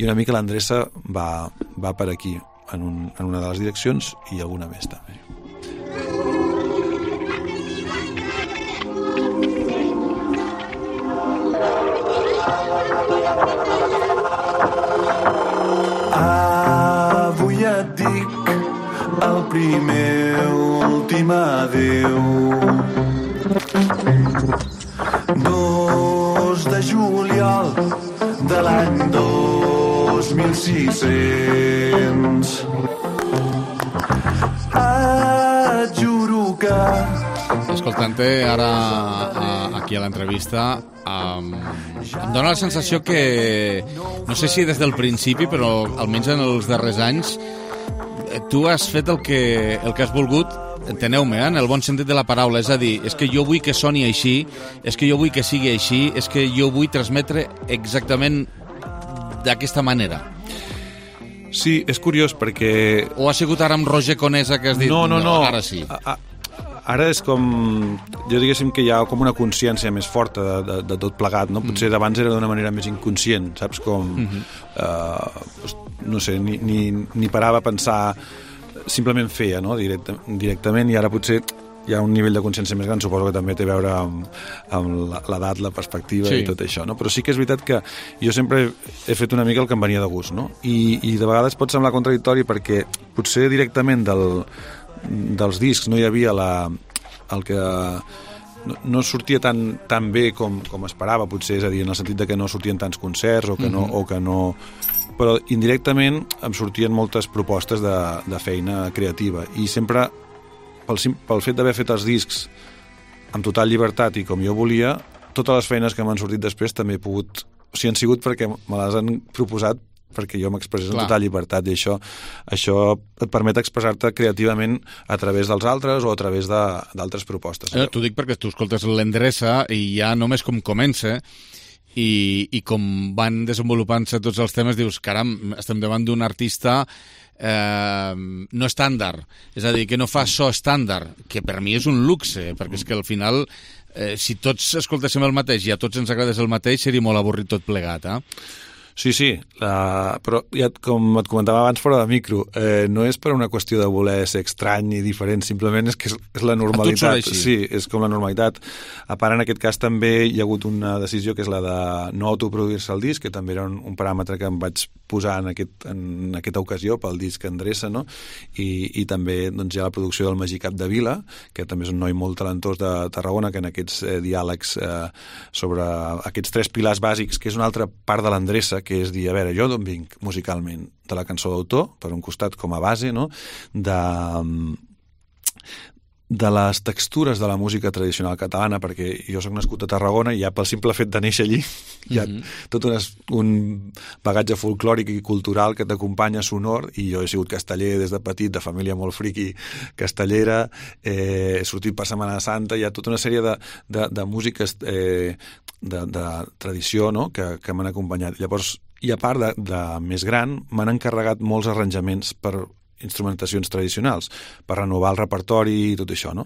una mica l'endreça va per aquí, en una de les direccions, i alguna més també. Avui et dic el primer últim adeu. 2 de juliol de l'any 2600. Et juro que... Escoltant-te ara aquí a l'entrevista, em dóna la sensació que, no sé si des del principi, però almenys en els darrers anys, tu has fet el que has volgut, enteneu-me, en el bon sentit de la paraula, és a dir, és que jo vull que soni així, és que jo vull que sigui així, és que jo vull transmetre exactament d'aquesta manera. Sí, és curiós perquè... O ha sigut ara amb Roger Conesa que has dit... No. Ara sí. Ara és com... Jo diguéssim que hi ha com una consciència més forta de tot plegat, no? Potser d'abans era d'una manera més inconscient, saps? Com... no sé, ni parava a pensar... Simplement feia, no? Directament, i ara potser hi ha un nivell de consciència més gran, suposo que també té a veure amb l'edat, la perspectiva i tot això, no? Però sí que és veritat que jo sempre he fet una mica el que em venia de gust, no? I de vegades pot semblar contradictori perquè potser directament dels discs no hi havia el que no sortia tan bé com esperava, potser, és a dir, en el sentit de que no sortien tants concerts o que no... Però indirectament em sortien moltes propostes de feina creativa i sempre pel fet d'haver fet els discs amb total llibertat i com jo volia, totes les feines que m'han sortit després també he pogut... O sigui, han sigut perquè me les han proposat perquè jo m'expressés en total llibertat, i això et permet expressar-te creativament a través dels altres o a través d'altres propostes. T'ho dic perquè tu escoltes l'endreça i ja només com comença i com van desenvolupant-se tots els temes dius, caram, estem davant d'un artista no estàndard, és a dir, que no fa so estàndard, que per mi és un luxe, perquè és que al final si tots escoltéssim el mateix i a tots ens agradés el mateix seria molt avorrit tot plegat, Sí, però ja, com et comentava abans fora de micro, no és per una qüestió de voler ser estrany i diferent, simplement és que és la normalitat. Sí, és com la normalitat. A part, en aquest cas també hi ha hagut una decisió que és la de no autoproduir-se el disc, que també era un paràmetre que em vaig posar en aquesta ocasió pel disc Endreça, no? I també doncs, hi ha la producció del Magí Capdevila, que també és un noi molt talentós de Tarragona, que en aquests diàlegs sobre aquests 3 pilars bàsics, que és una altra part de l'Endreça, que és dir, a veure, jo d'on vinc musicalment? De la cançó d'autor, per un costat com a base, no? De les textures de la música tradicional catalana, perquè jo soc nascut a Tarragona i ja pel simple fet de néixer allí hi ha tot un bagatge folclòric i cultural que t'acompanya sonor, i jo he sigut casteller des de petit, de família molt friqui castellera, he sortit per Setmana Santa, hi ha tota una sèrie de músiques de tradició, no? que m'han acompanyat. Llavors, i a part de més gran, m'han encarregat molts arranjaments per instrumentacions tradicionals, per renovar el repertori i tot això, no?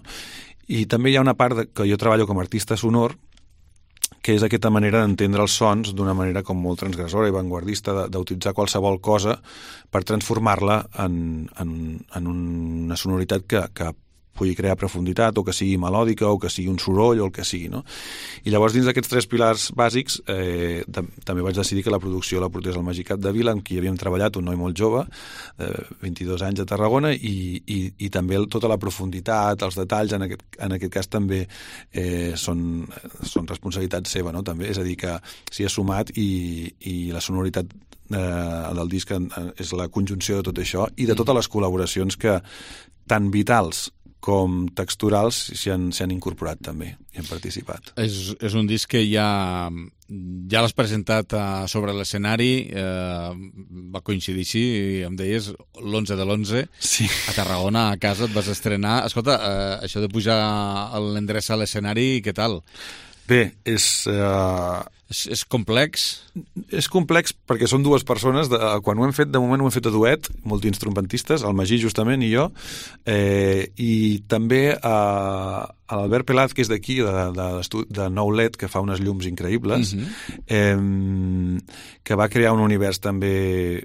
I també hi ha una part que jo treballo com a artista sonor, que és aquesta manera d'entendre els sons d'una manera com molt transgressora i vanguardista, d'utilitzar qualsevol cosa per transformar-la en una sonoritat que pugui crear profunditat, o que sigui melòdica, o que sigui un soroll, o el que sigui, no? I llavors, dins d'aquests 3 pilars bàsics, també vaig decidir que la producció la portés al Magicat de Vila, amb qui havíem treballat, un noi molt jove, 22 anys a Tarragona, i també tota la profunditat, els detalls, en aquest cas també són responsabilitat seva, no? També, és a dir, que s'hi ha sumat i la sonoritat del disc és la conjunció de tot això i de totes les col·laboracions que tan vitals com texturals s'hi han incorporat també i han participat. És un disc que ja l'has presentat sobre l'escenari, va coincidir així, em deies, l'11 de l'11, sí. A Tarragona, a casa et vas estrenar. Escolta, això de pujar l'Endreça a l'escenari, què tal? Bé, és complex? És complex perquè són 2 persones. Quan ho hem fet, de moment ho hem fet a duet, multiinstrumentistes, el Magí justament i jo, i també l'Albert Pelaz, que és d'aquí, de Nou LED, que fa unes llums increïbles, que va crear un univers també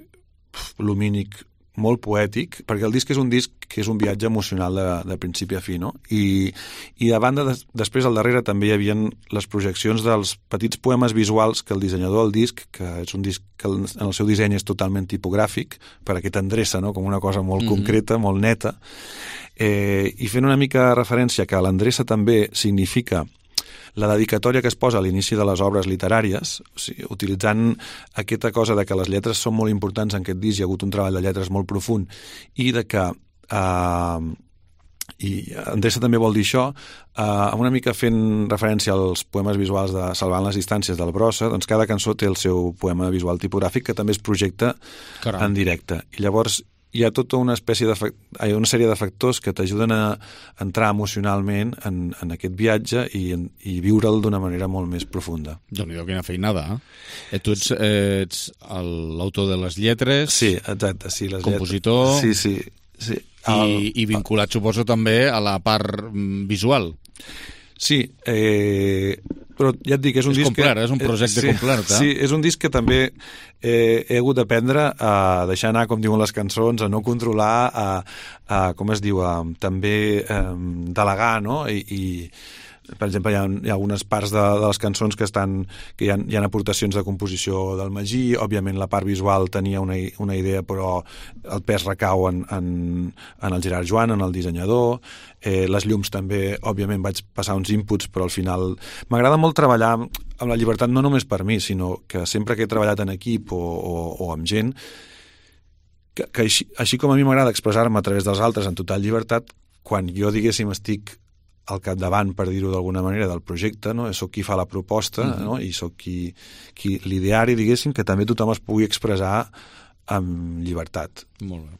lumínic molt poètic, perquè el disc és un disc que és un viatge emocional de principi a fi, no? I de banda, després al darrere també hi havia les projeccions dels petits poemes visuals que el dissenyador del disc, que és un disc que en el seu disseny és totalment tipogràfic, per aquesta endreça, no? Com una cosa molt concreta, molt neta, i fent una mica referència que l'endreça també significa la dedicatòria que es posa a l'inici de les obres literàries, o sigui, utilitzant aquesta cosa de que les lletres són molt importants en aquest disc, hi ha hagut un treball de lletres molt profund, i de que i endreça també vol dir això, una mica fent referència als poemes visuals de Salvant les distàncies del Brossa, doncs cada cançó té el seu poema visual tipogràfic que també es projecta en directe. I llavors hi ha tota una sèrie de factors que t'ajuden a entrar emocionalment en aquest viatge i viure'l d'una manera molt més profunda. Déu-n'hi-do, quina feinada, eh? Tu ets l'autor de les lletres, sí, exacte, sí, les compositor, sí. I vinculat, suposo, també a la part visual. Sí, però ja et dic, és un disc complet, és un projecte complet. Sí, és un disc que també he hagut d'aprendre a deixar anar, com diuen les cançons, a no controlar, com es diu, també delegar, no? I per exemple, hi ha algunes parts de les cançons que hi ha aportacions de composició del Magí. Òbviament la part visual tenia una idea, però el pes recau en el Gerard Joan, en el dissenyador. Les llums també, òbviament vaig passar uns inputs, però al final m'agrada molt treballar amb la llibertat, no només per mi, sinó que sempre que he treballat en equip o amb gent, que així com a mi m'agrada expressar-me a través dels altres en total llibertat, quan jo, diguéssim, estic al capdavant, per dir-ho d'alguna manera, del projecte, no? Soc qui fa la proposta, no? I soc qui l'ideari, diguéssim, que també tothom es pugui expressar amb llibertat. Molt bé.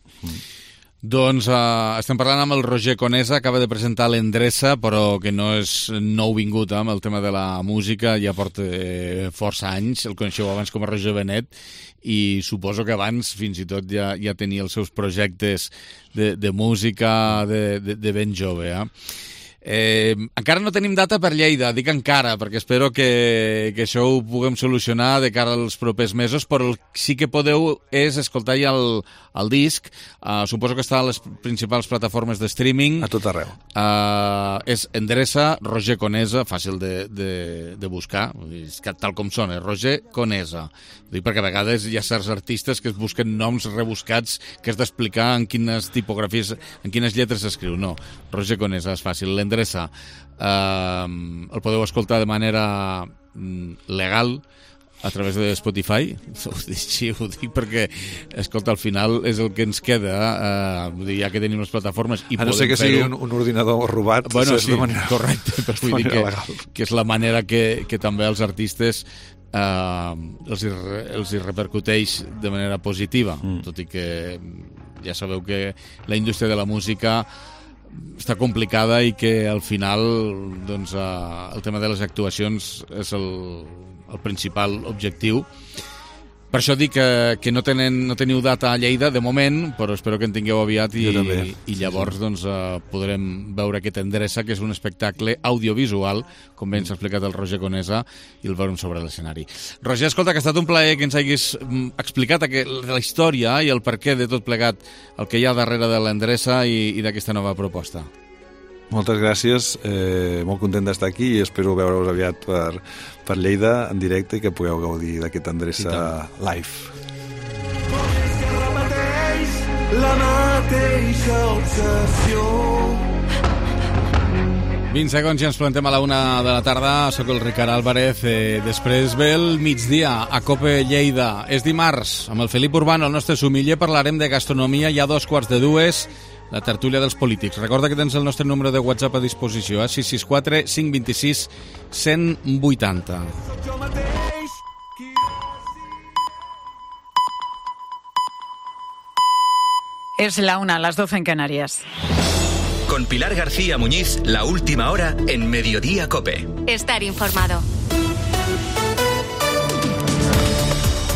Doncs estem parlant amb el Roger Conesa, acaba de presentar l'Endreça, però que no és nouvingut amb el tema de la música, ja porta força anys, el coneixeu abans com a Roger Benet, i suposo que abans fins i tot ja tenia els seus projectes de música de ben jove, encara no tenim data per Lleida, dic encara, perquè espero que això ho puguem solucionar de cara als propers mesos, però el sí que podeu és escoltar ja el disc. Suposo que està a les principals plataformes de streaming. A tot arreu. És Endreça, Roger Conesa, fàcil de buscar, tal com sona, Roger Conesa. Ho dic perquè a vegades hi ha certs artistes que es busquen noms rebuscats que has d'explicar en quines tipografies, en quines lletres s'escriu. No, Roger Conesa és fàcil. L'Endreça el podeu escoltar de manera legal a través de Spotify. Ho dic perquè, escolta, al final és el que ens queda, ja que tenim les plataformes i a no ser que sigui un ordinador robat. Bueno, sí, correcte, però vull dir que és la manera que també els artistes els hi repercuteix de manera positiva, tot i que ja sabeu que la indústria de la música està complicada i que al final doncs, el tema de les actuacions és el principal objectiu. Per això dic que no teniu data a Lleida de moment, però espero que en tingueu aviat i llavors doncs, podrem veure aquest Endreça, que és un espectacle audiovisual, com bé ens ha explicat el Roger Conesa, i el veurem sobre l'escenari. Roger, escolta, que ha estat un plaer que ens hagis explicat la història i el perquè de tot plegat, el que hi ha darrere de l'Endreça i d'aquesta nova proposta. Moltes gràcies, molt content d'estar aquí i espero veure-us aviat per Lleida en directe i que pugueu gaudir d'aquesta endreça live. La mateixa obsessió. 20 segons i ens plantem a la 1 de la tarda. Soc el Ricard Álvarez. Després ve el migdia a COPE Lleida. És dimarts. Amb el Felip Urbano, el nostre sumiller, parlarem de gastronomia. Hi ha 2:45, la tertúlia dels polítics. Recorda que tens el nostre número de WhatsApp a disposició, 664 526 180. Es la 1, las 12 en Canarias. Con Pilar García Muñiz, la última hora en Mediodía COPE. Estar informado.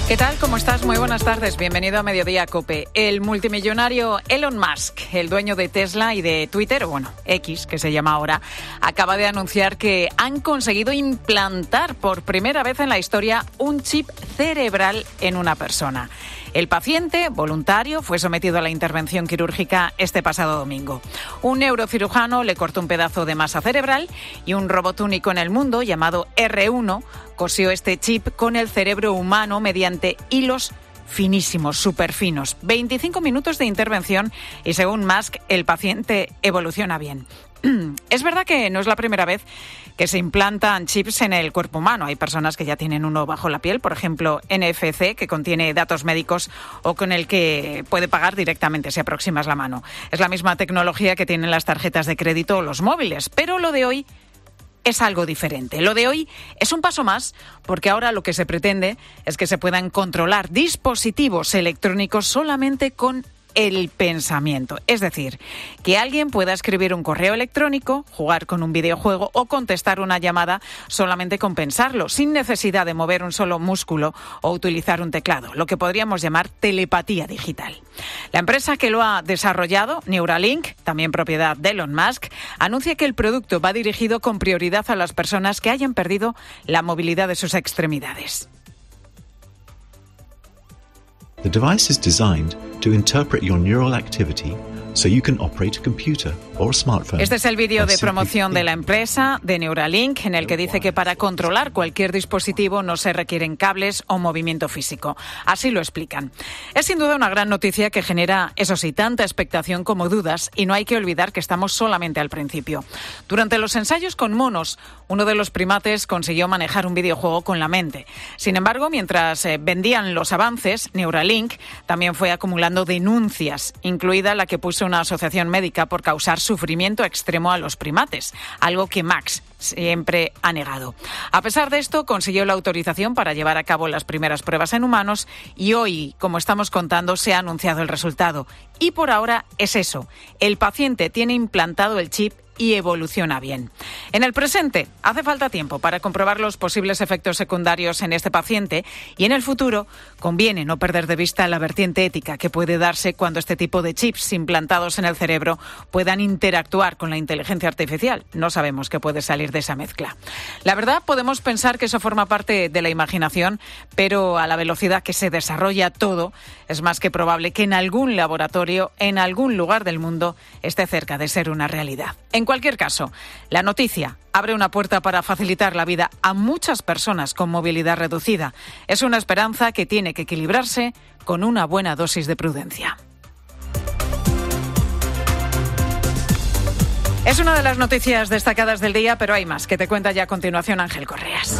¿Qué tal? ¿Cómo estás? Muy buenas tardes. Bienvenido a Mediodía COPE. El multimillonario Elon Musk, el dueño de Tesla y de Twitter, bueno, X, que se llama ahora, acaba de anunciar que han conseguido implantar por primera vez en la historia un chip cerebral en una persona. El paciente, voluntario, fue sometido a la intervención quirúrgica este pasado domingo. Un neurocirujano le cortó un pedazo de masa cerebral y un robot único en el mundo, llamado R1, cosió este chip con el cerebro humano mediante hilos finísimos, súper finos. 25 minutos de intervención y, según Musk, el paciente evoluciona bien. Es verdad que no es la primera vez que se implantan chips en el cuerpo humano. Hay personas que ya tienen uno bajo la piel, por ejemplo, NFC, que contiene datos médicos o con el que puede pagar directamente si aproximas la mano. Es la misma tecnología que tienen las tarjetas de crédito o los móviles, pero lo de hoy es algo diferente. Lo de hoy es un paso más, porque ahora lo que se pretende es que se puedan controlar dispositivos electrónicos solamente con el pensamiento. Es decir, que alguien pueda escribir un correo electrónico, jugar con un videojuego o contestar una llamada solamente con pensarlo, sin necesidad de mover un solo músculo o utilizar un teclado, lo que podríamos llamar telepatía digital. La empresa que lo ha desarrollado, Neuralink, también propiedad de Elon Musk, anuncia que el producto va dirigido con prioridad a las personas que hayan perdido la movilidad de sus extremidades. The device is designed to interpret your neural activity so you can operate a computer or a smartphone. Este es el vídeo de promoción de la empresa, de Neuralink, en el que dice que para controlar cualquier dispositivo no se requieren cables o movimiento físico. Así lo explican. Es sin duda una gran noticia que genera, eso sí, tanta expectación como dudas, y no hay que olvidar que estamos solamente al principio. Durante los ensayos con monos, uno de los primates consiguió manejar un videojuego con la mente. Sin embargo, mientras vendían los avances, Neuralink también fue acumulando denuncias, incluida la que puso una asociación médica por causar sufrimiento extremo a los primates, algo que Max siempre ha negado. A pesar de esto, consiguió la autorización para llevar a cabo las primeras pruebas en humanos y hoy, como estamos contando, se ha anunciado el resultado. Y por ahora es eso, el paciente tiene implantado el chip y evoluciona bien. En el presente, hace falta tiempo para comprobar los posibles efectos secundarios en este paciente y en el futuro conviene no perder de vista la vertiente ética que puede darse cuando este tipo de chips implantados en el cerebro puedan interactuar con la inteligencia artificial. No sabemos qué puede salir de esa mezcla. La verdad, podemos pensar que eso forma parte de la imaginación, pero a la velocidad que se desarrolla todo, es más que probable que en algún laboratorio, en algún lugar del mundo, esté cerca de ser una realidad. En cualquier caso, la noticia abre una puerta para facilitar la vida a muchas personas con movilidad reducida. Es una esperanza que tiene que equilibrarse con una buena dosis de prudencia. Es una de las noticias destacadas del día, pero hay más, que te cuenta ya a continuación Ángel Correas.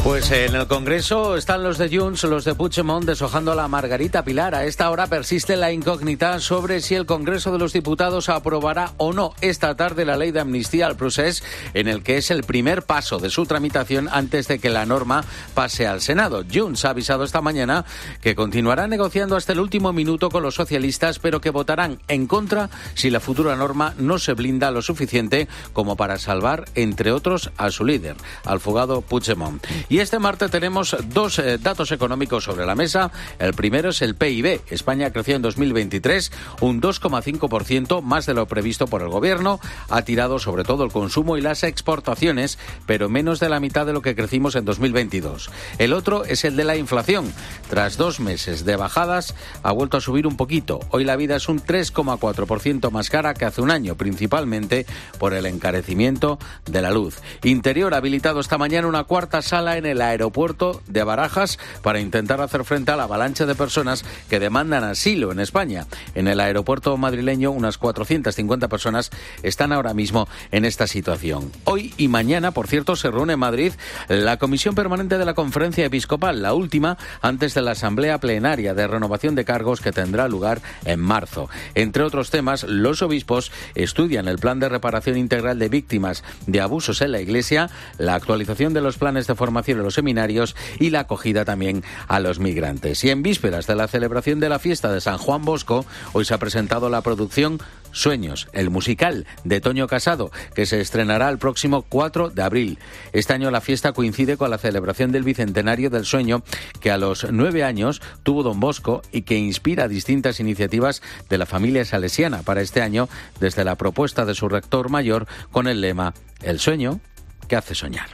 Pues en el Congreso están los de Junts, los de Puigdemont deshojando a la Margarita Pilar. A esta hora persiste la incógnita sobre si el Congreso de los Diputados aprobará o no esta tarde la ley de amnistía al procés, en el que es el primer paso de su tramitación antes de que la norma pase al Senado. Junts ha avisado esta mañana que continuará negociando hasta el último minuto con los socialistas, pero que votarán en contra si la futura norma no se blinda lo suficiente como para salvar, entre otros, a su líder, al fugado Puigdemont. Y Y este martes tenemos dos datos económicos sobre la mesa. El primero es el PIB. España creció en 2023 un 2,5%, más de lo previsto por el gobierno. Ha tirado sobre todo el consumo y las exportaciones, pero menos de la mitad de lo que crecimos en 2022. El otro es el de la inflación. Tras 2 meses de bajadas, ha vuelto a subir un poquito. Hoy la vida es un 3,4% más cara que hace un año, principalmente por el encarecimiento de la luz. Interior ha habilitado esta mañana una cuarta sala en el aeropuerto de Barajas para intentar hacer frente a la avalancha de personas que demandan asilo en España. En el aeropuerto madrileño, unas 450 personas están ahora mismo en esta situación. Hoy y mañana, por cierto, se reúne en Madrid la Comisión Permanente de la Conferencia Episcopal, la última antes de la Asamblea Plenaria de Renovación de Cargos que tendrá lugar en marzo. Entre otros temas, los obispos estudian el plan de reparación integral de víctimas de abusos en la Iglesia, la actualización de los planes de formación en los seminarios y la acogida también a los migrantes. Y en vísperas de la celebración de la fiesta de San Juan Bosco, hoy se ha presentado la producción Sueños, el musical de Toño Casado, que se estrenará el próximo 4 de abril. Este año la fiesta coincide con la celebración del bicentenario del sueño que a los 9 años tuvo Don Bosco y que inspira distintas iniciativas de la familia salesiana para este año, desde la propuesta de su rector mayor con el lema «El sueño que hace soñar».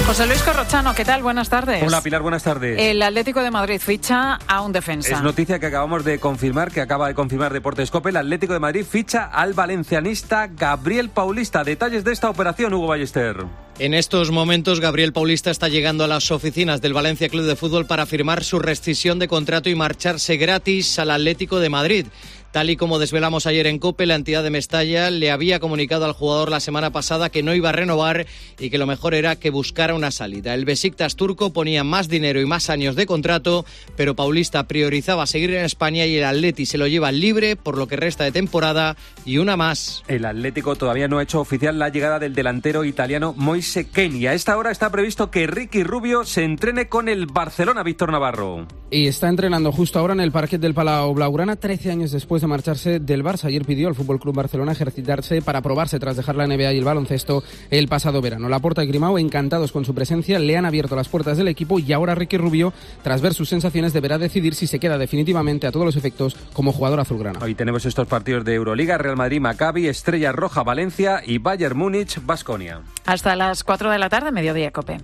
José Luis Corrochano, ¿qué tal? Buenas tardes. Hola Pilar, buenas tardes. El Atlético de Madrid ficha a un defensa. Es noticia que acabamos de confirmar, que acaba de confirmar Deportes COPE. El Atlético de Madrid ficha al valencianista Gabriel Paulista. Detalles de esta operación, Hugo Ballester. En estos momentos, Gabriel Paulista está llegando a las oficinas del Valencia Club de Fútbol para firmar su rescisión de contrato y marcharse gratis al Atlético de Madrid. Tal y como desvelamos ayer en COPE, la entidad de Mestalla le había comunicado al jugador la semana pasada que no iba a renovar y que lo mejor era que buscara una salida. El Besiktas turco ponía más dinero y más años de contrato, pero Paulista priorizaba seguir en España y el Atleti se lo lleva libre por lo que resta de temporada y una más. El Atlético todavía no ha hecho oficial la llegada del delantero italiano Moise Kean y a esta hora está previsto que Ricky Rubio se entrene con el Barcelona, Víctor Navarro. Y está entrenando justo ahora en el parquet del Palau Blaugrana, 13 años después de marcharse del Barça. Ayer pidió al FC Barcelona ejercitarse para probarse tras dejar la NBA y el baloncesto el pasado verano. Laporta y Grimao, encantados con su presencia, le han abierto las puertas del equipo y ahora Ricky Rubio, tras ver sus sensaciones, deberá decidir si se queda definitivamente a todos los efectos como jugador azulgrana. Hoy tenemos estos partidos de Euroliga: Real Madrid, Maccabi, Estrella Roja, Valencia y Bayern Múnich, Baskonia. Hasta las 4 de la tarde, Mediodía COPE.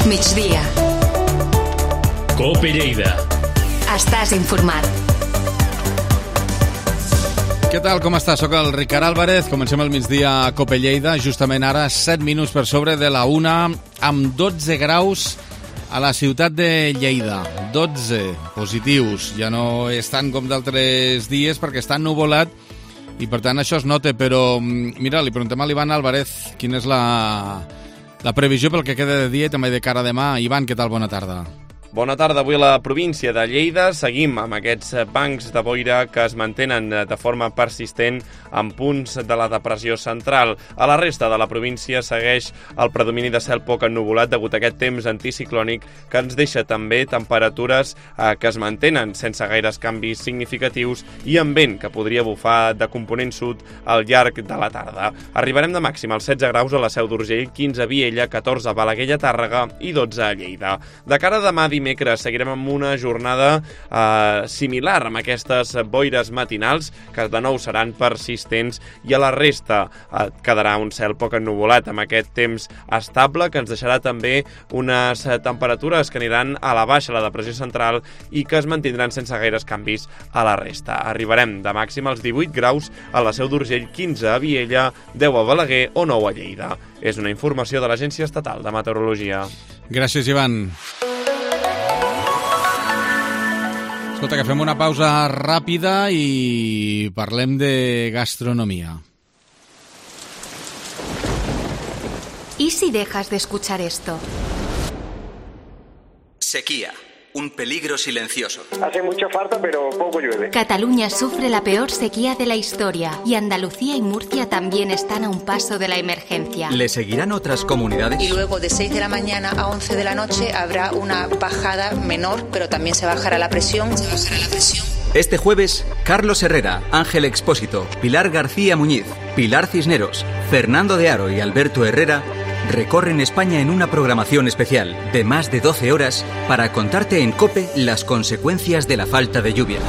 Migdia. COPE Lleida. Estàs informat. Què tal, com estàs? Soc el Ricard Álvarez. Comencem el migdia a COPE Lleida. Justament ara, 7 minuts per sobre de la 1, amb 12 graus a la ciutat de Lleida. 12 positius. Ja no és tant com d'altres dies perquè està ennuvolat i, per tant, això es nota. Però, mira, li preguntem a l'Ivan Álvarez quina és la previsió pel que queda de dia i també de cara a demà. Ivan, què tal? Bona tarda. Bona tarda. Avui a la província de Lleida seguim amb aquests bancs de boira que es mantenen de forma persistent en punts de la depressió central. A la resta de la província segueix el predomini de cel poc ennuvolat degut a aquest temps anticiclònic que ens deixa també temperatures que es mantenen sense gaires canvis significatius i amb vent que podria bufar de component sud al llarg de la tarda. Arribarem de màxim als 16 graus a la Seu d'Urgell, 15 a Viella, 14 a Balaguer, a Tàrrega i 12 a Lleida. De cara a demà dimecres seguirem amb una jornada similar amb aquestes boires matinals que de nou seran persistents i a la resta quedarà un cel poc ennuvolat amb aquest temps estable que ens deixarà també unes temperatures que aniran a la baixa a la depressió central i que es mantindran sense gaires canvis a la resta. Arribarem de màxim als 18 graus a la Seu d'Urgell, 15 a Viella, 10 a Balaguer o 9 a Lleida. És una informació de l'Agència Estatal de Meteorologia. Gràcies, Ivan. Escolta, que fem una pausa ràpida i parlem de gastronomia. ¿Y si dejas de escuchar esto? Sequía. Un peligro silencioso. Hace mucha falta, pero poco llueve. Cataluña sufre la peor sequía de la historia y Andalucía y Murcia también están a un paso de la emergencia. ¿Le seguirán otras comunidades? Y luego de 6 de la mañana a 11 de la noche habrá una bajada menor, pero también se bajará la presión. Este jueves, Carlos Herrera, Ángel Expósito, Pilar García Muñiz, Pilar Cisneros, Fernando de Aro y Alberto Herrera recorren España en una programación especial de más de 12 horas para contarte en COPE las consecuencias de la falta de lluvia.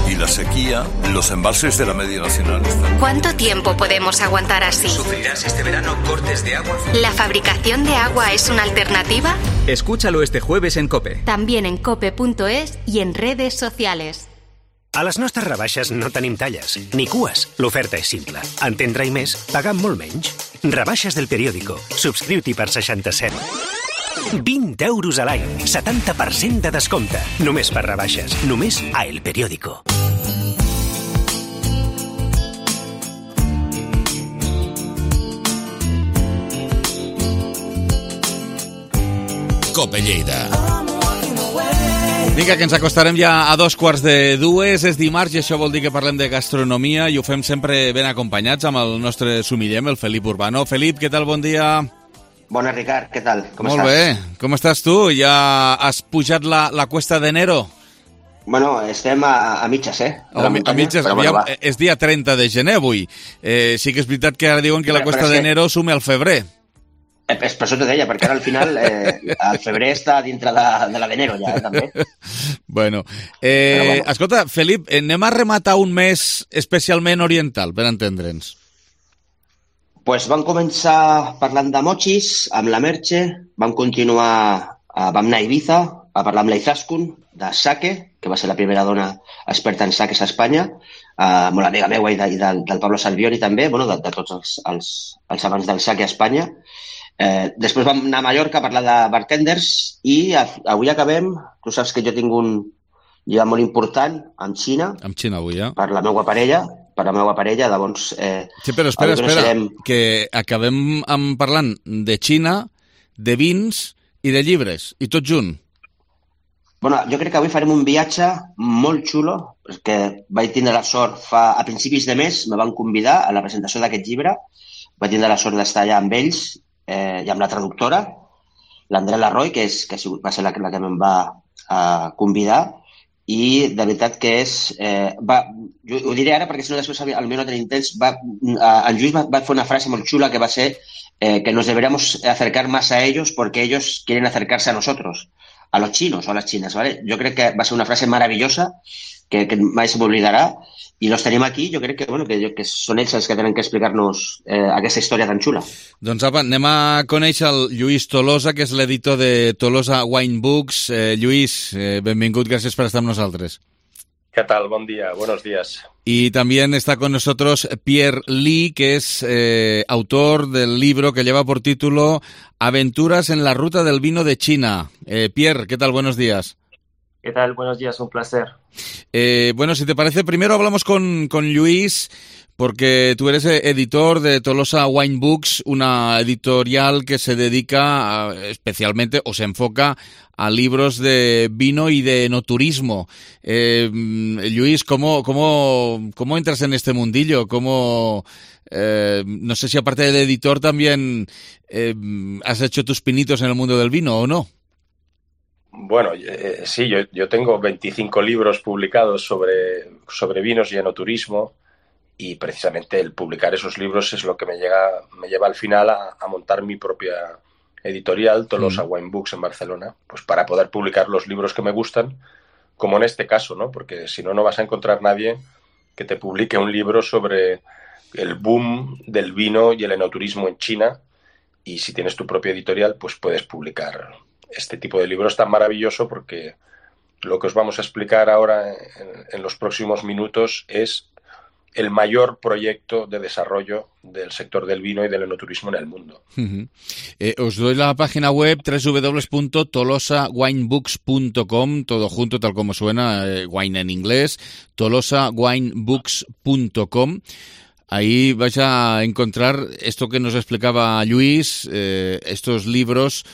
Y la sequía, los embalses de la media nacional. ¿Cuánto tiempo podemos aguantar así? ¿Sufrirás este verano cortes de agua? ¿La fabricación de agua es una alternativa? Escúchalo este jueves en COPE. También en cope.es y en redes sociales. A les nostres rebaixes no tenim talles, ni cues. L'oferta és simple. En tindrà i més, pagant molt menys. Rebaixes del periòdico. Subscriu-t'hi per 67. 20 euros a l'any, 70% de descompte. Només per rebaixes, només a El Periódico. Cope Lleida. Vinga, que ens acostarem ja a 2:45. És dimarts i això vol dir que parlem de gastronomia i ho fem sempre ben acompanyats amb el nostre sumillem, el Felip Urbano. Felip, què tal? Bon dia. Bona, Ricard, què tal? Com estàs? Molt bé. Com estàs tu? Ja has pujat la cuesta d'enero? Bueno, estem a mitges, A mitges, bueno, és dia 30 de gener avui. Sí que és veritat que ara diuen que la cuesta d'enero sume al febrer. Per això t'ho deia, perquè ara al final el febrer està dintre de la d'enero ja, també. Bueno, escolta, Felip, anem a rematar un mes especialment oriental, per entendre'ns. Pues vam començar parlant de mochis, amb la Merche, vam continuar, vam anar a Ibiza, a parlar amb la Izaskun, de sake, que va ser la primera dona experta en sakes a Espanya, molt amiga meua i del Pablo Salvioni també, bueno, de tots els amants del sake a Espanya. Després vam anar a Mallorca a parlar de bartenders i avui acabem, tu saps que jo tinc un llibre molt important amb Xina. Amb Xina avui, Per la meva parella, llavors... Sí, però espera, que acabem parlant de Xina, de vins i de llibres, i tot junt. Bueno, jo crec que avui farem un viatge molt xulo, perquè vaig tindre la sort, a principis de mes me van convidar a la presentació d'aquest llibre, vaig tindre la sort d'estar allà amb ells, i amb la traductora, l'Andrea Larroy, que va ser la que em va convidar, i de veritat que és... jo ho diré ara perquè si no després al meu no tenim temps, en Lluís va fer una frase molt xula que va ser que nos deberíamos acercar más a ellos porque ellos quieren acercarse a nosotros, a los chinos o a las chinas, ¿vale? Jo crec que va ser una frase maravillosa que mai se m'oblidarà, i los tenim aquí, jo crec que són ells els que tenen que explicar-nos aquesta història tan xula. Doncs apa, anem a conèixer el Lluís Tolosa, que és l'editor de Tolosa Wine Books. Lluís, benvingut, gràcies per estar amb nosaltres. ¿Qué tal? Buen día, buenos días. Y también está con nosotros Pierre Lee, que es autor del libro que lleva por título Aventuras en la ruta del vino de China. Pierre, ¿qué tal? Buenos días. ¿Qué tal? Buenos días, un placer. Bueno, si te parece, primero hablamos con Lluís, porque tú eres editor de Tolosa Wine Books, una editorial que se dedica especialmente o se enfoca a libros de vino y de enoturismo. Lluís, ¿cómo entras en este mundillo? No sé si aparte de editor también has hecho tus pinitos en el mundo del vino o no. Bueno, sí, yo tengo 25 libros publicados sobre vinos y enoturismo, y precisamente el publicar esos libros es lo que me lleva al final a montar mi propia editorial, Tolosa Wine Books en Barcelona, pues para poder publicar los libros que me gustan, como en este caso, ¿no? Porque si no, no vas a encontrar nadie que te publique un libro sobre el boom del vino y el enoturismo en China, y si tienes tu propia editorial, pues puedes publicar este tipo de libros tan maravilloso, porque lo que os vamos a explicar ahora en los próximos minutos es el mayor proyecto de desarrollo del sector del vino y del enoturismo en el mundo. Os doy la página web www.tolosawinebooks.com, todo junto, tal como suena, wine en inglés, tolosawinebooks.com. Ahí vais a encontrar esto que nos explicaba Lluís, estos libros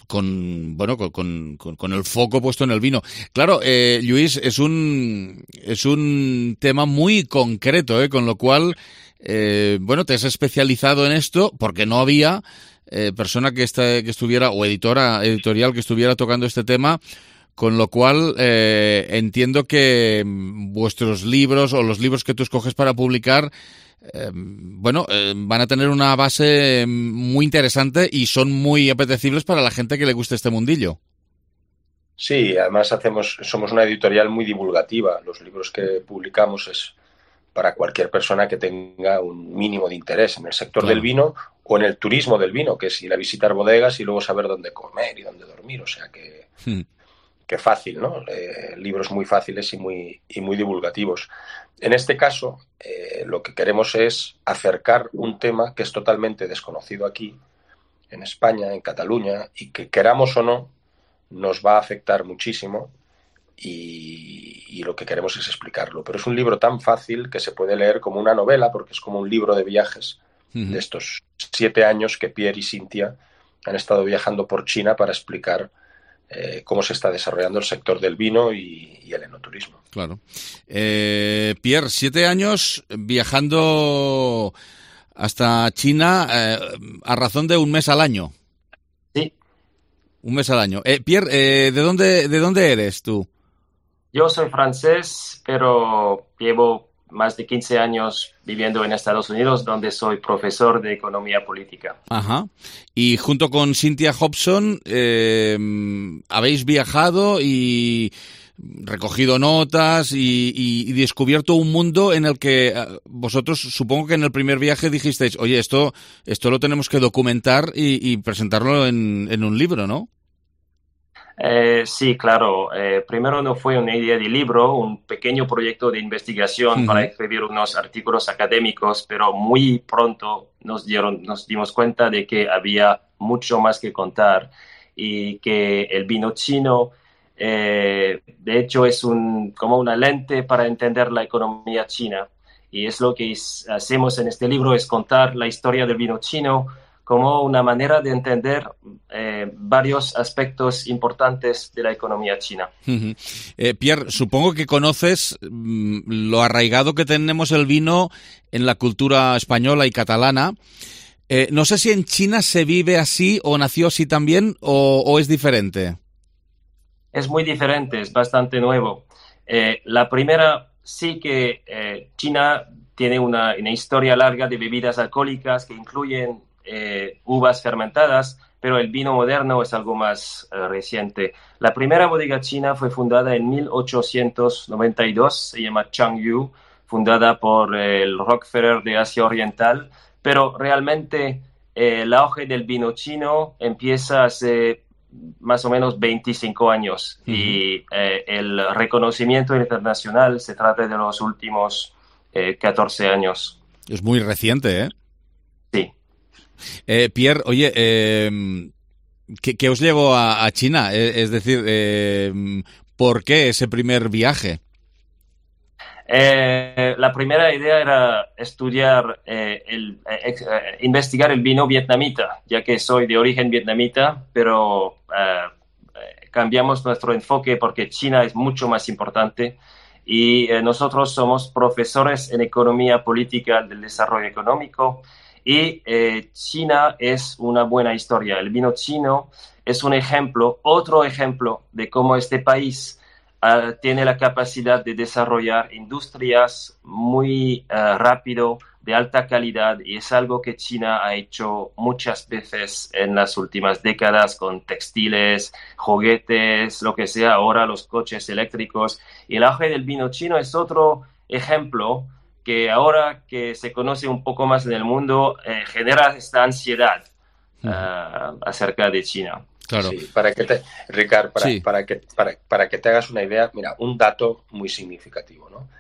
con el foco puesto en el vino. Claro, Lluís, es un tema muy concreto, con lo cual, te has especializado en esto porque no había persona que estuviera, o editorial que estuviera tocando este tema Con lo cual, entiendo que vuestros libros o los libros que tú escoges para publicar, van a tener una base muy interesante y son muy apetecibles para la gente que le guste este mundillo. Sí, además somos una editorial muy divulgativa. Los libros que publicamos es para cualquier persona que tenga un mínimo de interés en el sector del vino o en el turismo del vino, que es ir a visitar bodegas y luego saber dónde comer y dónde dormir. O sea que fácil, ¿no? Libros muy fáciles y muy divulgativos. En este caso, lo que queremos es acercar un tema que es totalmente desconocido aquí, en España, en Cataluña, y que queramos o no, nos va a afectar muchísimo y lo que queremos es explicarlo. Pero es un libro tan fácil que se puede leer como una novela, porque es como un libro de viajes de estos 7 años que Pierre y Cynthia han estado viajando por China para explicar cómo se está desarrollando el sector del vino y el enoturismo. Claro. Pierre, 7 años viajando hasta China a razón de un mes al año. Sí. Un mes al año. Pierre, ¿de dónde eres tú? Yo soy francés, pero llevo más de 15 años viviendo en Estados Unidos, donde soy profesor de economía política. Ajá. Y junto con Cynthia Hobson habéis viajado y recogido notas y descubierto un mundo en el que vosotros, supongo que en el primer viaje dijisteis, oye, esto lo tenemos que documentar y presentarlo en un libro, ¿no? Sí, claro. Primero no fue una idea de libro, un pequeño proyecto de investigación para escribir unos artículos académicos, pero muy pronto nos dimos cuenta de que había mucho más que contar y que el vino chino, de hecho, es como una lente para entender la economía china. Y es lo que hacemos en este libro, es contar la historia del vino chino como una manera de entender varios aspectos importantes de la economía china. Pierre, supongo que conoces lo arraigado que tenemos el vino en la cultura española y catalana. No sé si en China se vive así o nació así también o es diferente. Es muy diferente, es bastante nuevo. La primera, sí que China tiene una historia larga de bebidas alcohólicas que incluyen uvas fermentadas, pero el vino moderno es algo más reciente. La primera bodega china fue fundada en 1892, se llama Changyu, fundada por el Rockefeller de Asia Oriental, pero realmente el auge del vino chino empieza hace más o menos 25 años y el reconocimiento internacional se trata de los últimos 14 años. Es muy reciente, ¿eh? Sí. Pierre, oye, ¿qué os llevó a China? Es decir, ¿por qué ese primer viaje? La primera idea era estudiar, investigar el vino vietnamita, ya que soy de origen vietnamita, pero cambiamos nuestro enfoque porque China es mucho más importante y nosotros somos profesores en economía política del desarrollo económico. Y China es una buena historia. El vino chino es un ejemplo, otro ejemplo de cómo este país tiene la capacidad de desarrollar industrias muy rápido, de alta calidad, y es algo que China ha hecho muchas veces en las últimas décadas con textiles, juguetes, lo que sea, ahora los coches eléctricos. Y el auge del vino chino es otro ejemplo que ahora que se conoce un poco más en el mundo, genera esta ansiedad acerca de China. Claro. Sí, Ricard, para que te hagas una idea, mira, un dato muy significativo, ¿no?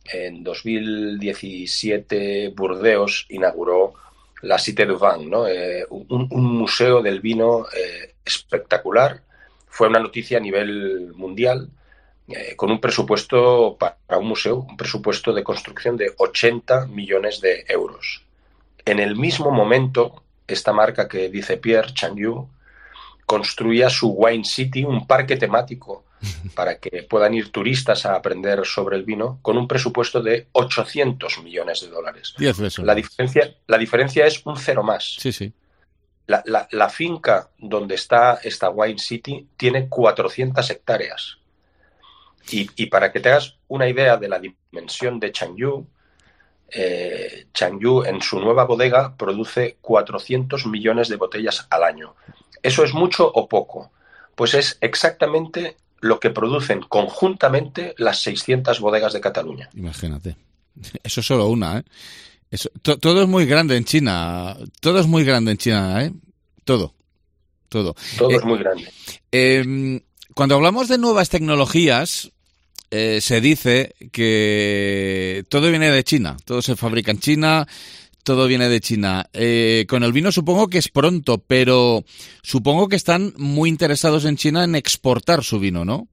En 2017 Burdeos inauguró la Cité du Vin, ¿no? Un museo del vino espectacular. Fue una noticia a nivel mundial. Con un presupuesto para un museo, un presupuesto de construcción de 80 millones de euros. En el mismo momento, esta marca que dice Pierre, Changyu, construía su Wine City, un parque temático para que puedan ir turistas a aprender sobre el vino, con un presupuesto de 800 millones de dólares. La diferencia es un cero más. Sí, sí. La finca donde está esta Wine City tiene 400 hectáreas. Y para que te hagas una idea de la dimensión de Changyu, Changyu en su nueva bodega produce 400 millones de botellas al año. ¿Eso es mucho o poco? Pues es exactamente lo que producen conjuntamente las 600 bodegas de Cataluña. Imagínate. Eso es solo una, ¿eh? Todo es muy grande en China. Todo es muy grande en China, ¿eh? Todo. Todo es muy grande. Cuando hablamos de nuevas tecnologías, se dice que todo viene de China. Todo se fabrica en China, todo viene de China. Con el vino supongo que es pronto, pero supongo que están muy interesados en China en exportar su vino, ¿no?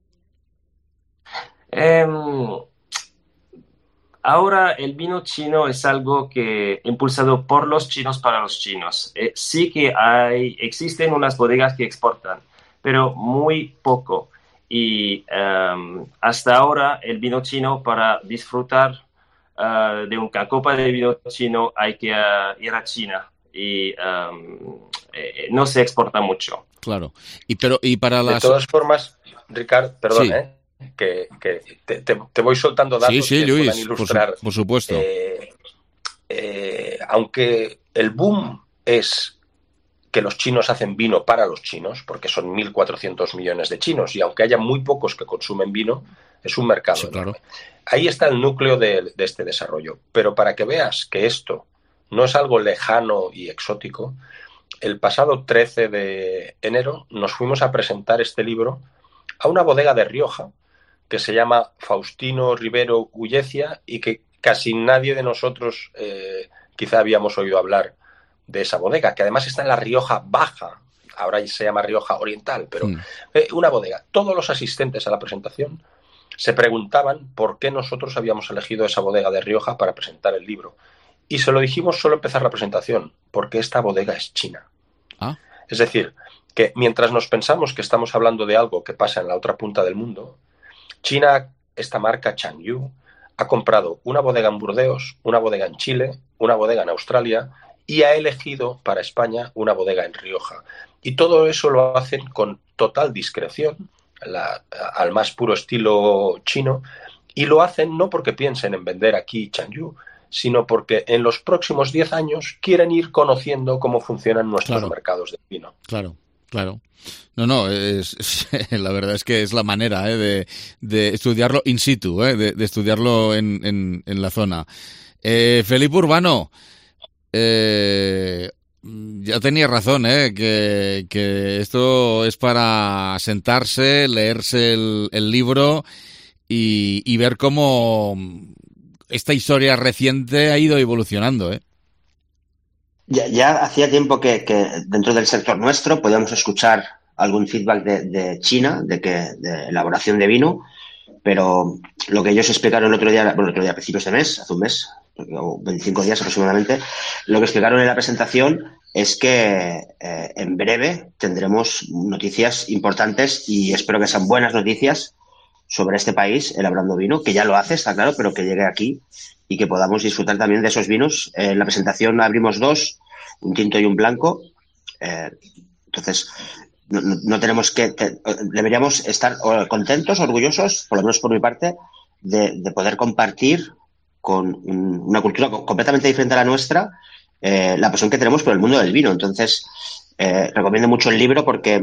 Ahora el vino chino es algo que impulsado por los chinos para los chinos. Sí que existen unas bodegas que exportan, pero muy poco. Y hasta ahora el vino chino, para disfrutar de una copa de vino chino, hay que ir a China y no se exporta mucho. Claro. Y para las... De todas formas, Ricard, perdón, sí. Que te voy soltando datos sí, que Luis, puedan ilustrar. por supuesto. Aunque el boom es que los chinos hacen vino para los chinos, porque son 1.400 millones de chinos, y aunque haya muy pocos que consumen vino, es un mercado. Sí, claro. Ahí está el núcleo de este desarrollo. Pero para que veas que esto no es algo lejano y exótico, el pasado 13 de enero nos fuimos a presentar este libro a una bodega de Rioja que se llama Faustino Rivero Ullecia y que casi nadie de nosotros quizá habíamos oído hablar de esa bodega, que además está en la Rioja Baja, ahora se llama Rioja Oriental, pero una bodega. Todos los asistentes a la presentación se preguntaban por qué nosotros habíamos elegido esa bodega de Rioja para presentar el libro. Y se lo dijimos solo empezar la presentación, porque esta bodega es china. ¿Ah? Es decir, que mientras nos pensamos que estamos hablando de algo que pasa en la otra punta del mundo, China, esta marca Changyu, ha comprado una bodega en Burdeos, una bodega en Chile, una bodega en Australia y ha elegido para España una bodega en Rioja. Y todo eso lo hacen con total discreción, al más puro estilo chino, y lo hacen no porque piensen en vender aquí Changyu, sino porque en los próximos 10 años quieren ir conociendo cómo funcionan nuestros mercados de vino. Claro. No, la verdad es que es la manera de estudiarlo in situ, de estudiarlo en la zona. Felipe Urbano, ya tenía razón, que esto es para sentarse, leerse el libro y ver cómo esta historia reciente ha ido evolucionando, Ya hacía tiempo que dentro del sector nuestro podíamos escuchar algún feedback de China, de elaboración de vino, pero lo que ellos explicaron el otro día a principios de mes, hace un mes, o 25 días aproximadamente, lo que explicaron en la presentación es que en breve tendremos noticias importantes y espero que sean buenas noticias sobre este país elaborando vino, que ya lo hace, está claro, pero que llegue aquí y que podamos disfrutar también de esos vinos. En la presentación abrimos dos, un tinto y un blanco. Entonces, no tenemos que... deberíamos estar contentos, orgullosos, por lo menos por mi parte, de poder compartir con una cultura completamente diferente a la nuestra la pasión que tenemos por el mundo del vino. Entonces, recomiendo mucho el libro porque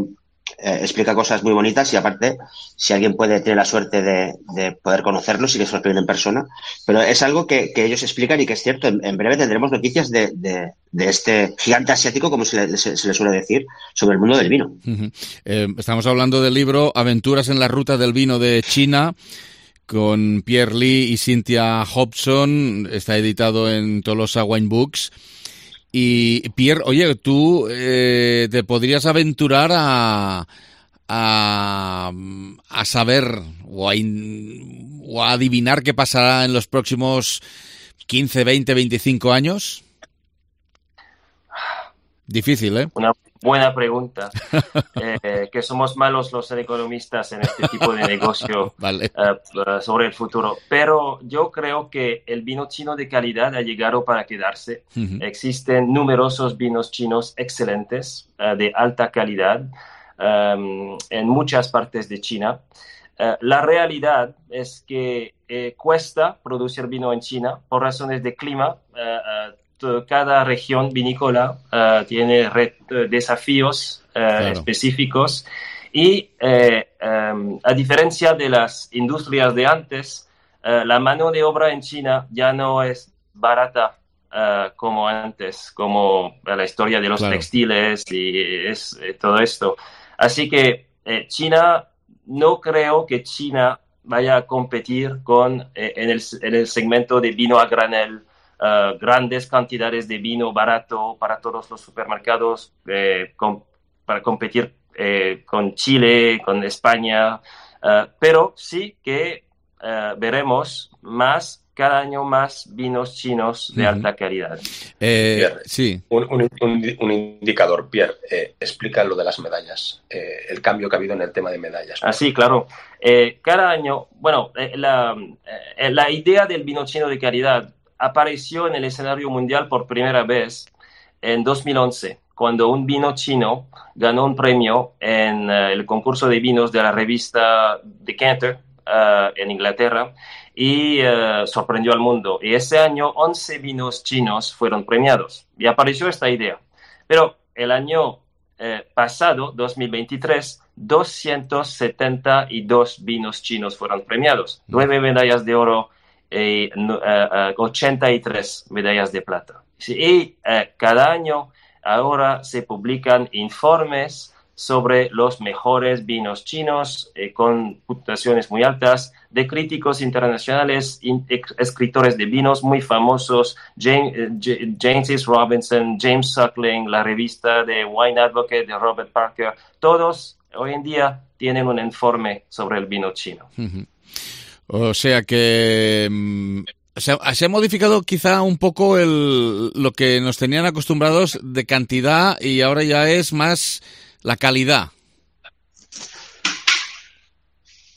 explica cosas muy bonitas y aparte, si alguien tiene la suerte de poder conocerlo, sí que se lo piden en persona, pero es algo que ellos explican y que es cierto. En breve tendremos noticias de este gigante asiático, como se le suele decir, sobre el mundo del vino. Estamos hablando del libro Aventuras en la ruta del vino de China, con Pierre Lee y Cynthia Hobson. Está editado en Tolosa Wine Books. Y Pierre, oye, tú te podrías aventurar a saber o a adivinar qué pasará en los próximos 15, 20, 25 años. Difícil, ¿eh? buena pregunta. Que somos malos los economistas en este tipo de negocio vale. Sobre el futuro. Pero yo creo que el vino chino de calidad ha llegado para quedarse. Existen numerosos vinos chinos excelentes, de alta calidad, en muchas partes de China. La realidad es que cuesta producir vino en China por razones de clima. Cada región vinícola tiene desafíos específicos y a diferencia de las industrias de antes, la mano de obra en China ya no es barata como antes, como la historia de los textiles y todo esto. Así que China, no creo que China vaya a competir en el segmento de vino a granel, grandes cantidades de vino barato para todos los supermercados, para competir con Chile, con España, pero sí que veremos cada año más vinos chinos de alta calidad. Pierre, sí. Un indicador, Pierre, explica lo de las medallas, el cambio que ha habido en el tema de medallas. Sí, claro. Cada año, la idea del vino chino de calidad apareció en el escenario mundial por primera vez en 2011, cuando un vino chino ganó un premio en el concurso de vinos de la revista Decanter en Inglaterra y sorprendió al mundo. Y ese año 11 vinos chinos fueron premiados y apareció esta idea. Pero el año pasado, 2023, 272 vinos chinos fueron premiados, 9 medallas de oro y 83 medallas de plata. Y cada año ahora se publican informes sobre los mejores vinos chinos con puntuaciones muy altas de críticos internacionales, escritores de vinos muy famosos, James Robinson, James Suckling, la revista de Wine Advocate de Robert Parker, todos hoy en día tienen un informe sobre el vino chino. O sea que se ha modificado quizá un poco lo que nos tenían acostumbrados de cantidad y ahora ya es más la calidad.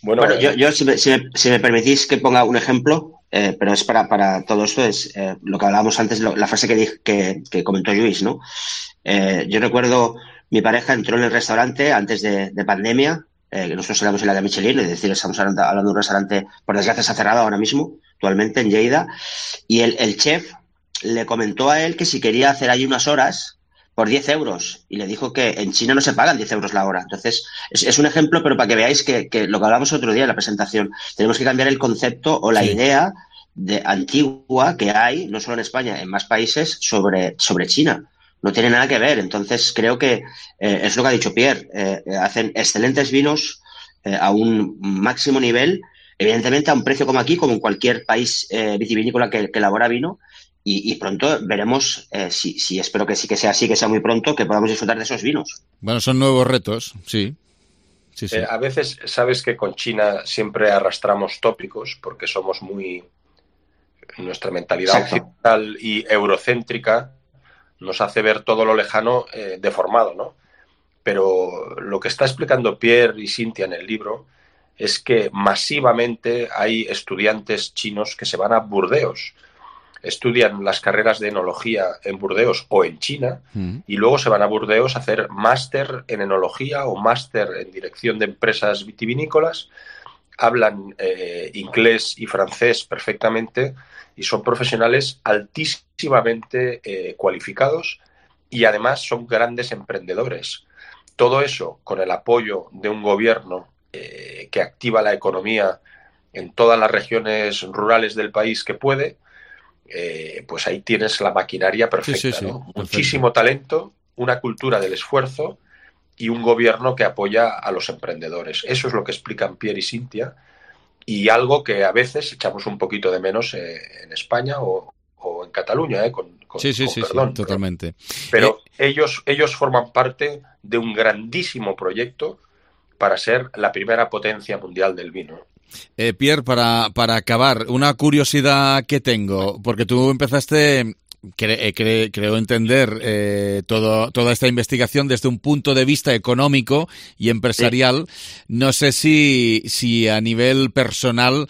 Bueno, yo si me permitís que ponga un ejemplo, pero es para todo esto, es lo que hablábamos antes, la frase que comentó Lluís, ¿no? Yo recuerdo, mi pareja entró en el restaurante antes de pandemia, que nosotros éramos en la de Michelin, es decir, estamos hablando de un restaurante, por desgracia se ha cerrado ahora mismo, actualmente en Lleida, y el chef le comentó a él que si quería hacer allí unas horas por 10 euros, y le dijo que en China no se pagan 10 euros la hora. Entonces, es un ejemplo, pero para que veáis que lo que hablábamos otro día en la presentación, tenemos que cambiar el concepto o la idea antigua que hay, no solo en España, en más países, sobre China. No tiene nada que ver. Entonces, creo que es lo que ha dicho Pierre. Hacen excelentes vinos a un máximo nivel, evidentemente a un precio como aquí, como en cualquier país vitivinícola que elabora vino. Y pronto veremos, si espero que sí que sea así, que sea muy pronto, que podamos disfrutar de esos vinos. Bueno, son nuevos retos, sí. A veces, sabes que con China siempre arrastramos tópicos porque somos nuestra mentalidad occidental y eurocéntrica nos hace ver todo lo lejano deformado, ¿no? Pero lo que está explicando Pierre y Cintia en el libro es que masivamente hay estudiantes chinos que se van a Burdeos, estudian las carreras de enología en Burdeos o en China y luego se van a Burdeos a hacer máster en enología o máster en dirección de empresas vitivinícolas, hablan inglés y francés perfectamente y son profesionales altísimamente cualificados y además son grandes emprendedores. Todo eso con el apoyo de un gobierno que activa la economía en todas las regiones rurales del país que puede, pues ahí tienes la maquinaria perfecta, ¿no? Muchísimo talento, una cultura del esfuerzo y un gobierno que apoya a los emprendedores. Eso es lo que explican Pierre y Cintia y algo que a veces echamos un poquito de menos en España o en Cataluña, con perdón. Totalmente. Pero ellos forman parte de un grandísimo proyecto para ser la primera potencia mundial del vino. Pierre, para acabar, una curiosidad que tengo, porque tú empezaste creo entender toda esta investigación desde un punto de vista económico y empresarial. Sí. No sé si a nivel personal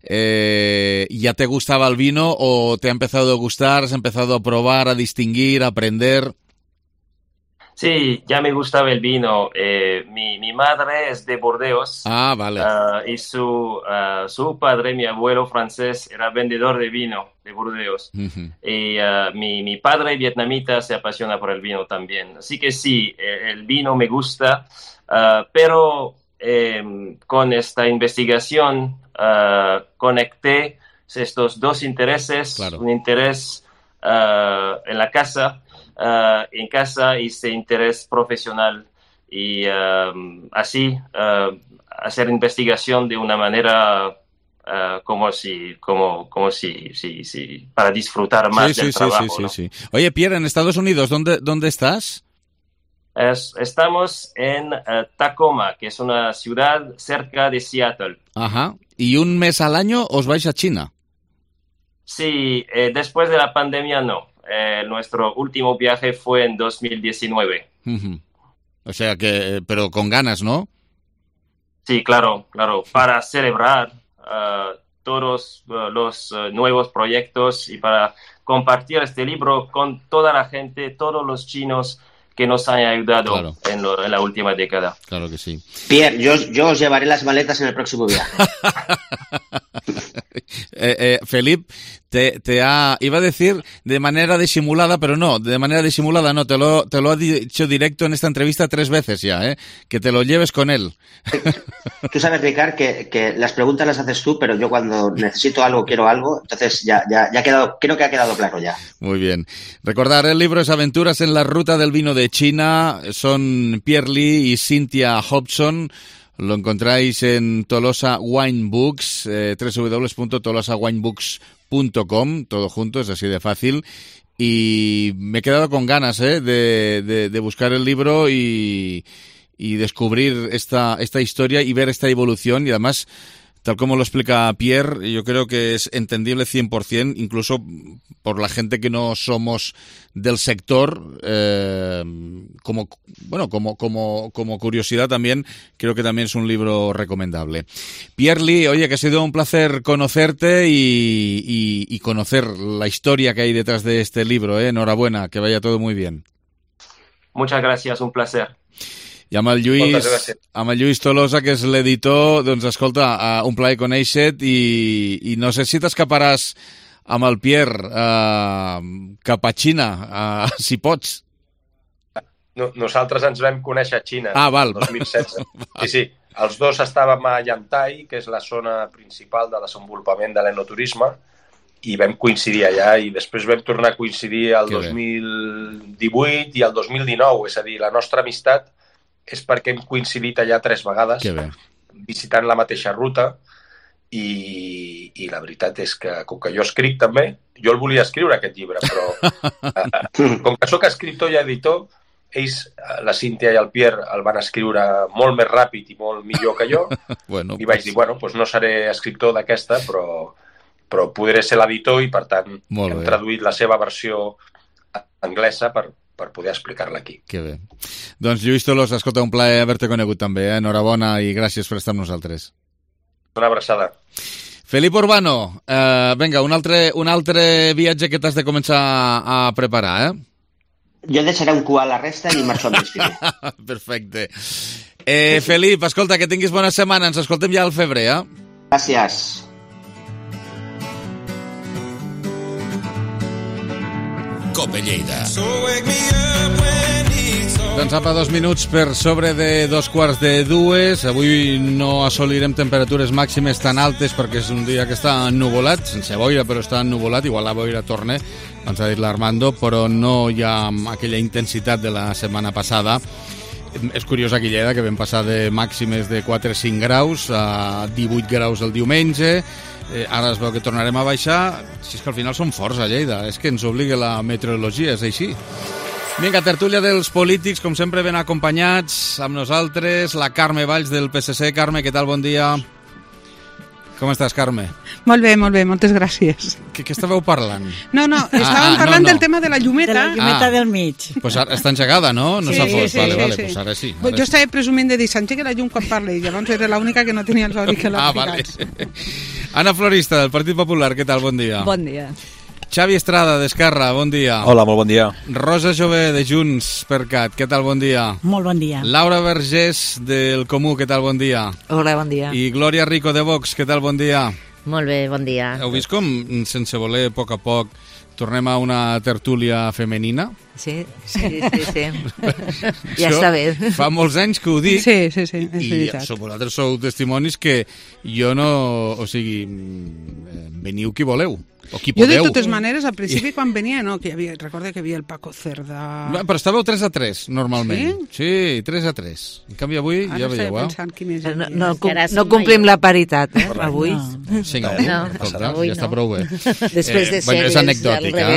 ya te gustaba el vino o te ha empezado a gustar, has empezado a probar, a distinguir, a aprender. Sí, ya me gustaba el vino. Mi madre es de Burdeos. Ah, vale. Y su padre, mi abuelo francés, era vendedor de vino de Burdeos. Uh-huh. Y mi padre vietnamita se apasiona por el vino también. Así que sí, el vino me gusta, pero con esta investigación conecté estos dos intereses. Claro. Un interés en la casa. En casa hice interés profesional y así hacer investigación de una manera como si para disfrutar más del trabajo. ¿No? Sí. Oye, Pierre, en Estados Unidos, ¿dónde estás? Estamos en Tacoma, que es una ciudad cerca de Seattle. Ajá. ¿Y un mes al año os vais a China? Sí, después de la pandemia no. Nuestro último viaje fue en 2019. Uh-huh. O sea que, pero con ganas, ¿no? Sí, claro, para celebrar todos los nuevos proyectos y para compartir este libro con toda la gente, todos los chinos que nos han ayudado en la última década. Claro que sí. Pierre, yo os llevaré las maletas en el próximo viaje. Felip, iba a decir de manera disimulada, pero no, de manera disimulada no, te lo ha dicho directo en esta entrevista 3 veces ya, que te lo lleves con él. Tú sabes, Ricard, que las preguntas las haces tú, pero yo cuando necesito algo, quiero algo, entonces ya ha quedado, creo que ha quedado claro ya. Muy bien. Recordar, el libro es Aventuras en la ruta del vino de China, son Pierre Lee y Cynthia Hobson. Lo encontráis en Tolosa Wine Books, www.tolosawinebooks.com, todo junto, es así de fácil. Y me he quedado con ganas de buscar el libro y descubrir esta historia y ver esta evolución. Y además, tal como lo explica Pierre, yo creo que es entendible 100%, incluso por la gente que no somos del sector, como curiosidad también, creo que también es un libro recomendable. Pierre Lee, oye, que ha sido un placer conocerte y conocer la historia que hay detrás de este libro, Enhorabuena, que vaya todo muy bien. Muchas gracias, un placer. I amb el Lluís Tolosa, que és l'editor, doncs escolta, un plaer conèixer-te i no sé si t'escaparàs amb el Pierre cap a Xina, si pots. No, nosaltres ens vam conèixer a Xina el 2016. Sí, els dos estàvem a Yantai, que és la zona principal de desenvolupament de l'enoturisme, i vam coincidir allà i després vam tornar a coincidir el 2018 i el 2019, és a dir, la nostra amistat és perquè hem coincidit allà 3 vegades, visitant la mateixa ruta, i la veritat és que, com que jo escric també, jo el volia escriure aquest llibre, però com que sóc escriptor i editor, ells, la Cynthia i el Pierre, el van escriure molt més ràpid i molt millor que jo, i vaig dir, no seré escriptor d'aquesta, però podré ser l'editor i, per tant, hem traduït la seva versió anglesa per poder explicar-la aquí. Que bé. Doncs Lluís Tolosa, escolta, un plaer haver-te conegut també. Enhorabona i gràcies per estar amb nosaltres. Una abraçada. Felip Urbano, vinga, un altre viatge que t'has de començar a preparar, Jo deixaré un cua a la resta i marxo amb l'estiu. Perfecte. Felip, escolta, que tinguis bona setmana. Ens escoltem ja al febrer, Gràcies. Cope Lleida. Doncs apa, 2 minuts per sobre de 2:15. Avui no assolirem temperatures màximes tan altes perquè és un dia que està ennuvolat, sense boira, però està ennuvolat. Igual la boira torna, ens ha dit l'Armando, però no hi ha aquella intensitat de la setmana passada. És curiós aquí a Lleida, que vam passar de màximes de 4-5 graus a 18 graus el diumenge. Ara es veu que tornarem a baixar. Si és que al final som forts a Lleida, és que ens obliga la meteorologia, és així. Vinga, tertúlia dels polítics, com sempre ben acompanyats amb nosaltres, la Carme Valls del PSC. Carme, què tal? Bon dia. Com estàs, Carme? Molt bé, moltes gràcies. Què estàveu parlant? No, estàvem parlant del tema de la llumeta. De la llumeta del mig. Pues ara està engegada, no? No s'ha fos. Vale, pues ara sí. Jo estava presumint de dir, s'engega la llum quan parli, i llavors era l'única que no tenia els auriculars ficats. Vale. Ana Florista, del Partit Popular, què tal? Bon dia. Bon dia. Xavi Estrada, d'Esquerra, bon dia. Hola, molt bon dia. Rosa Jové, de Junts per Cat, què tal? Bon dia. Molt bon dia. Laura Vergés, del Comú, què tal? Bon dia. Hola, bon dia. I Glòria Rico, de Vox, què tal? Bon dia. Molt bé, bon dia. Heu vist com, sense voler, a poc, tornem a una tertúlia femenina? Sí. Ja està bé. Fa molts anys que ho dic. Sí, és veritat. I vosaltres sou testimonis que jo no... O sigui, veniu qui voleu. O qui podeu. Jo, de totes maneres, al principi, quan venia, no, que recorda que hi havia el Paco Cerdà... Però estàveu 3-3, normalment. Sí, 3-3. En canvi, avui ja veieu, No complim la paritat, avui. Sí, ja està prou bé. Després de ser és anecdòtica.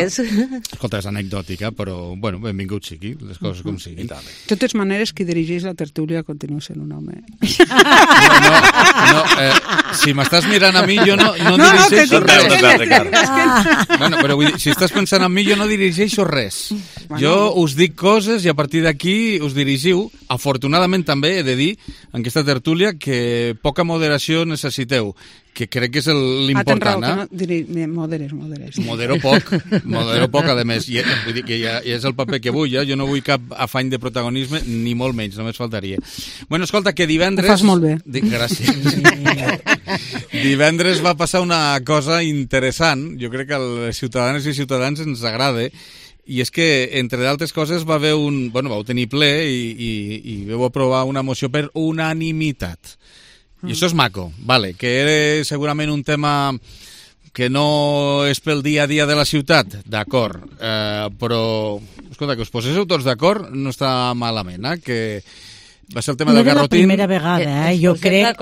Escolta, és anecdòtica, però, bueno, benvingut sigui, les coses com siguin. De totes maneres, qui dirigeix la tertúlia continua sent un home. No, si m'estàs mirant a mi, jo no dirigeixo res. Bueno, però vull dir, si estàs pensant en mi, jo no dirigeixo res. Jo us dic coses i a partir d'aquí us dirigiu. Afortunadament també he de dir, en aquesta tertúlia, que poca moderació necessiteu, que crec que és l'important. Moderes. Modero poc, a més. Vull dir que ja és el paper que vull, jo no vull cap afany de protagonisme, ni molt menys, només faltaria. Bueno, escolta, que divendres... Ho fas molt bé. Gràcies. Divendres va passar una cosa interessant, jo crec que a les ciutadanes i ciutadans ens agrada, i és que, entre d'altres coses, vau tenir ple i vau aprovar una moció per unanimitat. I això és maco, vale, que era segurament un tema que no és pel dia a dia de la ciutat, d'acord, però, escolta, que us poséssiu tots d'acord no està malament, que va ser el tema del garrotín. No era la primera vegada, jo crec...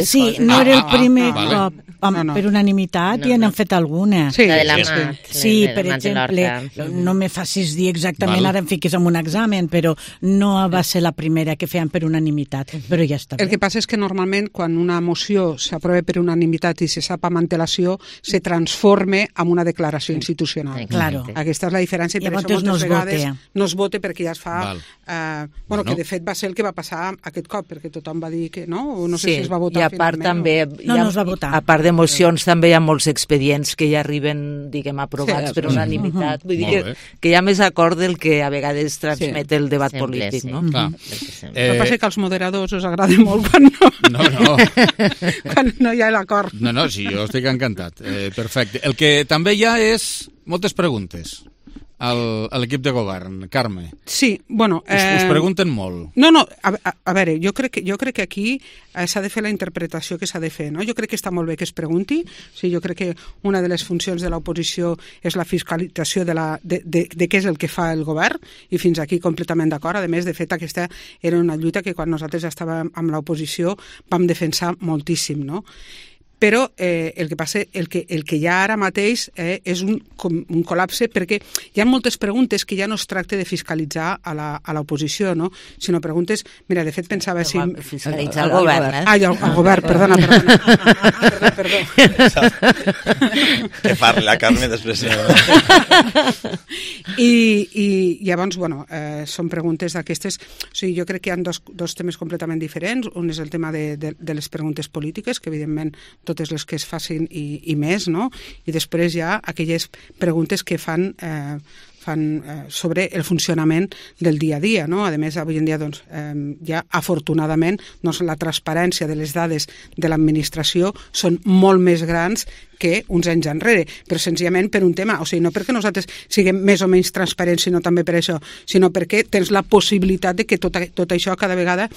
Sí, no era el primer cop. Per unanimitat i n'han fet alguna. Sí, la de la Mat. Sí, per exemple, no me facis dir exactament, ara em fiquis en un examen, però no va ser la primera que feien per unanimitat, però ja està bé. El que passa és que normalment quan una moció s'aprova per unanimitat i se sap amb antelació, se transforma en una declaració institucional. Claro. Aquesta és la diferència. I llavors moltes vegades no es vota perquè ja es fa... que de fet va ser el que va passar aquest cop, perquè tothom va dir que no, o no sé si es va votar finalment. I a part també... No es va votar. A part de mocions també hi ha molts expedients que ja arriben, diguem, aprovats per unanimitat. Vull dir que hi ha més acord del que a vegades transmet el debat polític, no? El que passa que als moderadors us agrada molt quan no hi ha l'acord. No, sí, jo estic encantat. Perfecte. El que també hi ha és moltes preguntes a l'equip de govern. Carme. Sí, bueno... Us pregunten molt. No, a veure, jo crec que aquí s'ha de fer la interpretació que s'ha de fer, no? Jo crec que està molt bé que es pregunti. O sigui, jo crec que una de les funcions de l'oposició és la fiscalització de què és el que fa el govern, i fins aquí completament d'acord. A més, de fet, aquesta era una lluita que quan nosaltres estàvem amb l'oposició vam defensar moltíssim, no? Però el que passa, el que hi ha ara mateix és un col·lapse, perquè hi ha moltes preguntes que ja no es tracta de fiscalitzar a l'oposició, no? Sinó preguntes... Mira, de fet pensava... Fiscalitzar el govern, el govern, perdona. Perdó. Que parli la Carme després. I llavors, bueno, són preguntes d'aquestes... O sigui, jo crec que hi ha dos temes completament diferents. Un és el tema de les preguntes polítiques, que evidentment totes les que es facin i més, no? I després hi ha aquelles preguntes que fan sobre el funcionament del dia a dia, no? A més, avui en dia, doncs, ja afortunadament, doncs, la transparència de les dades de l'administració són molt més grans que uns anys enrere, però senzillament per un tema, o sigui, no perquè nosaltres siguem més o menys transparents, sinó també per això, sinó perquè tens la possibilitat de que tot això cada vegada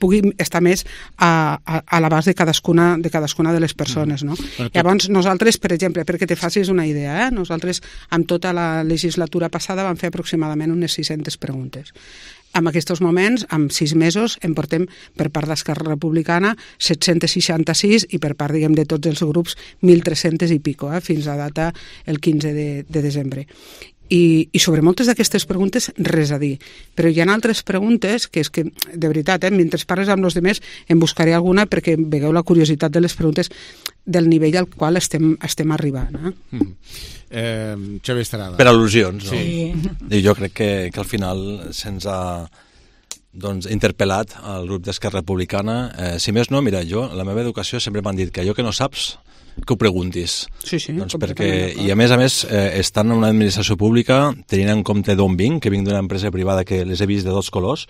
pugui estar més a l'abast de cadascuna de les persones, no? Llavors, nosaltres, per exemple, perquè te facis una idea, nosaltres, amb tota la legislatura passada, vam fer aproximadament unes 600 preguntes. En aquests moments, en 6 mesos, en portem per part d'Esquerra Republicana 766 i per part, diguem, de tots els grups 1.300 i pico, fins a data el 15 de desembre. I sobre moltes d'aquestes preguntes res a dir, però hi ha altres preguntes que és que, de veritat, mentre parles amb els demés em buscaré alguna perquè vegeu la curiositat de les preguntes del nivell al qual estem arribant. Xavier Estrada. Per al·lusions, no? Sí. I jo crec que al final se'ns ha interpel·lat al grup d'Esquerra Republicana. Si més no, mira, la meva educació sempre m'han dit que allò que no saps que ho preguntis. Sí, perquè, i a més, estant en una administració pública, tenint en compte d'on vinc, que vinc d'una empresa privada que les he vist de dos colors,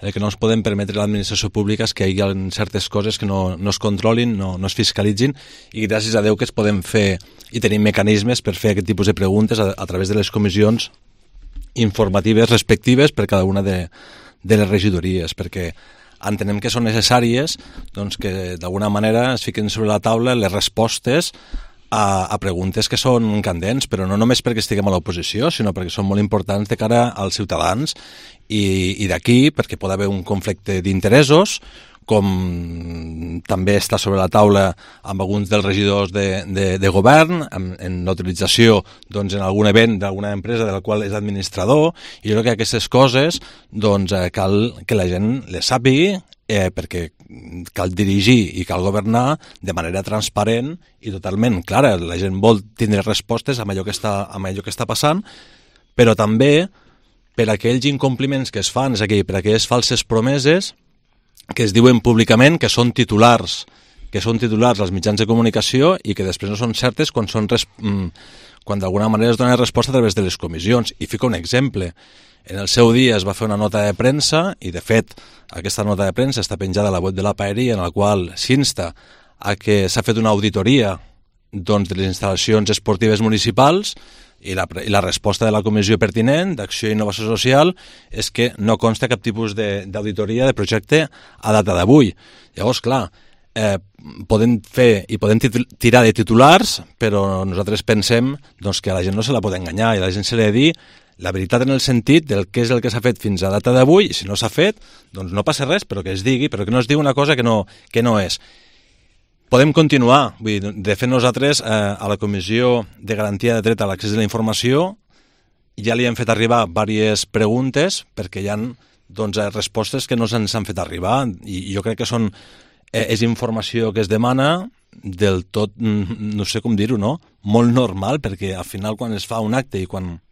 el que no ens podem permetre a l'administració pública és que hi ha certes coses que no es controlin, no es fiscalitzin, i gràcies a Déu que es podem fer i tenim mecanismes per fer aquest tipus de preguntes a través de les comissions informatives respectives per cada una de les regidories, perquè entenem que són necessàries que d'alguna manera es fiquen sobre la taula les respostes a preguntes que són candents, però no només perquè estiguem a l'oposició, sinó perquè són molt importants de cara als ciutadans i d'aquí perquè pot haver un conflicte d'interessos, com també està sobre la taula amb alguns dels regidors de govern, en l'utilització en algun event d'alguna empresa de la qual és administrador, i jo crec que aquestes coses cal que la gent les sàpigui, perquè cal dirigir i cal governar de manera transparent i totalment clara. La gent vol tindre respostes amb allò que està passant, però també per aquells incompliments que es fan, és a dir, per aquelles falses promeses que es diuen públicament que són titulars als mitjans de comunicació i que després no són certes quan d'alguna manera es dona resposta a través de les comissions. I fico un exemple. En el seu dia es va fer una nota de premsa i, de fet, aquesta nota de premsa està penjada a la web de la Paeria, en la qual s'insta a que s'ha fet una auditoria de les instal·lacions esportives municipals i la resposta de la comissió pertinent d'Acció i Innovació Social és que no consta cap tipus d'auditoria de projecte a data d'avui. Llavors, clar, podem fer i podem tirar de titulars, però nosaltres pensem que a la gent no se la pot enganyar i a la gent se li ha de dir la veritat en el sentit del què és el que s'ha fet fins a data d'avui, i si no s'ha fet, doncs no passa res, però que es digui, però que no es digui una cosa que no és. Podem continuar. De fet, nosaltres a la Comissió de Garantia de Dret a l'Accés a la Informació ja li hem fet arribar diverses preguntes perquè hi ha respostes que no se'ns han fet arribar i jo crec que és informació que es demana del tot, no sé com dir-ho, no? Molt normal, perquè al final quan es fa un acte i quan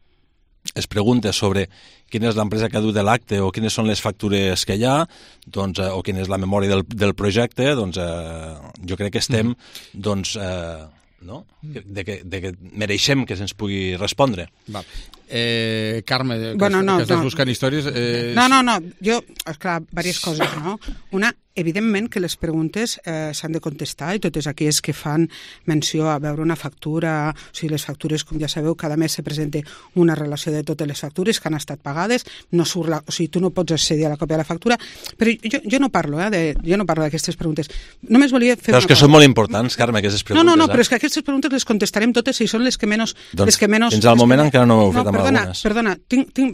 es pregunta sobre quina és l'empresa que ha dut l'acte o quines són les factures que hi ha, o quina és la memòria del projecte, jo crec que estem, de que mereixem que se'ns pugui respondre. Carme, que estàs buscant històries... No, jo, esclar, diverses coses, no? Una, evidentment que les preguntes s'han de contestar i totes aquelles que fan menció a veure una factura, o sigui, les factures, com ja sabeu, cada mes se presenta una relació de totes les factures que han estat pagades, o sigui, tu no pots accedir a la còpia de la factura, però jo no parlo d'aquestes preguntes. Només volia fer però és que són molt importants, Carme, aquestes preguntes. No, però és que aquestes preguntes les contestarem totes i són les que menys... Fins al moment encara no m'heu fet amb algunes. Perdona,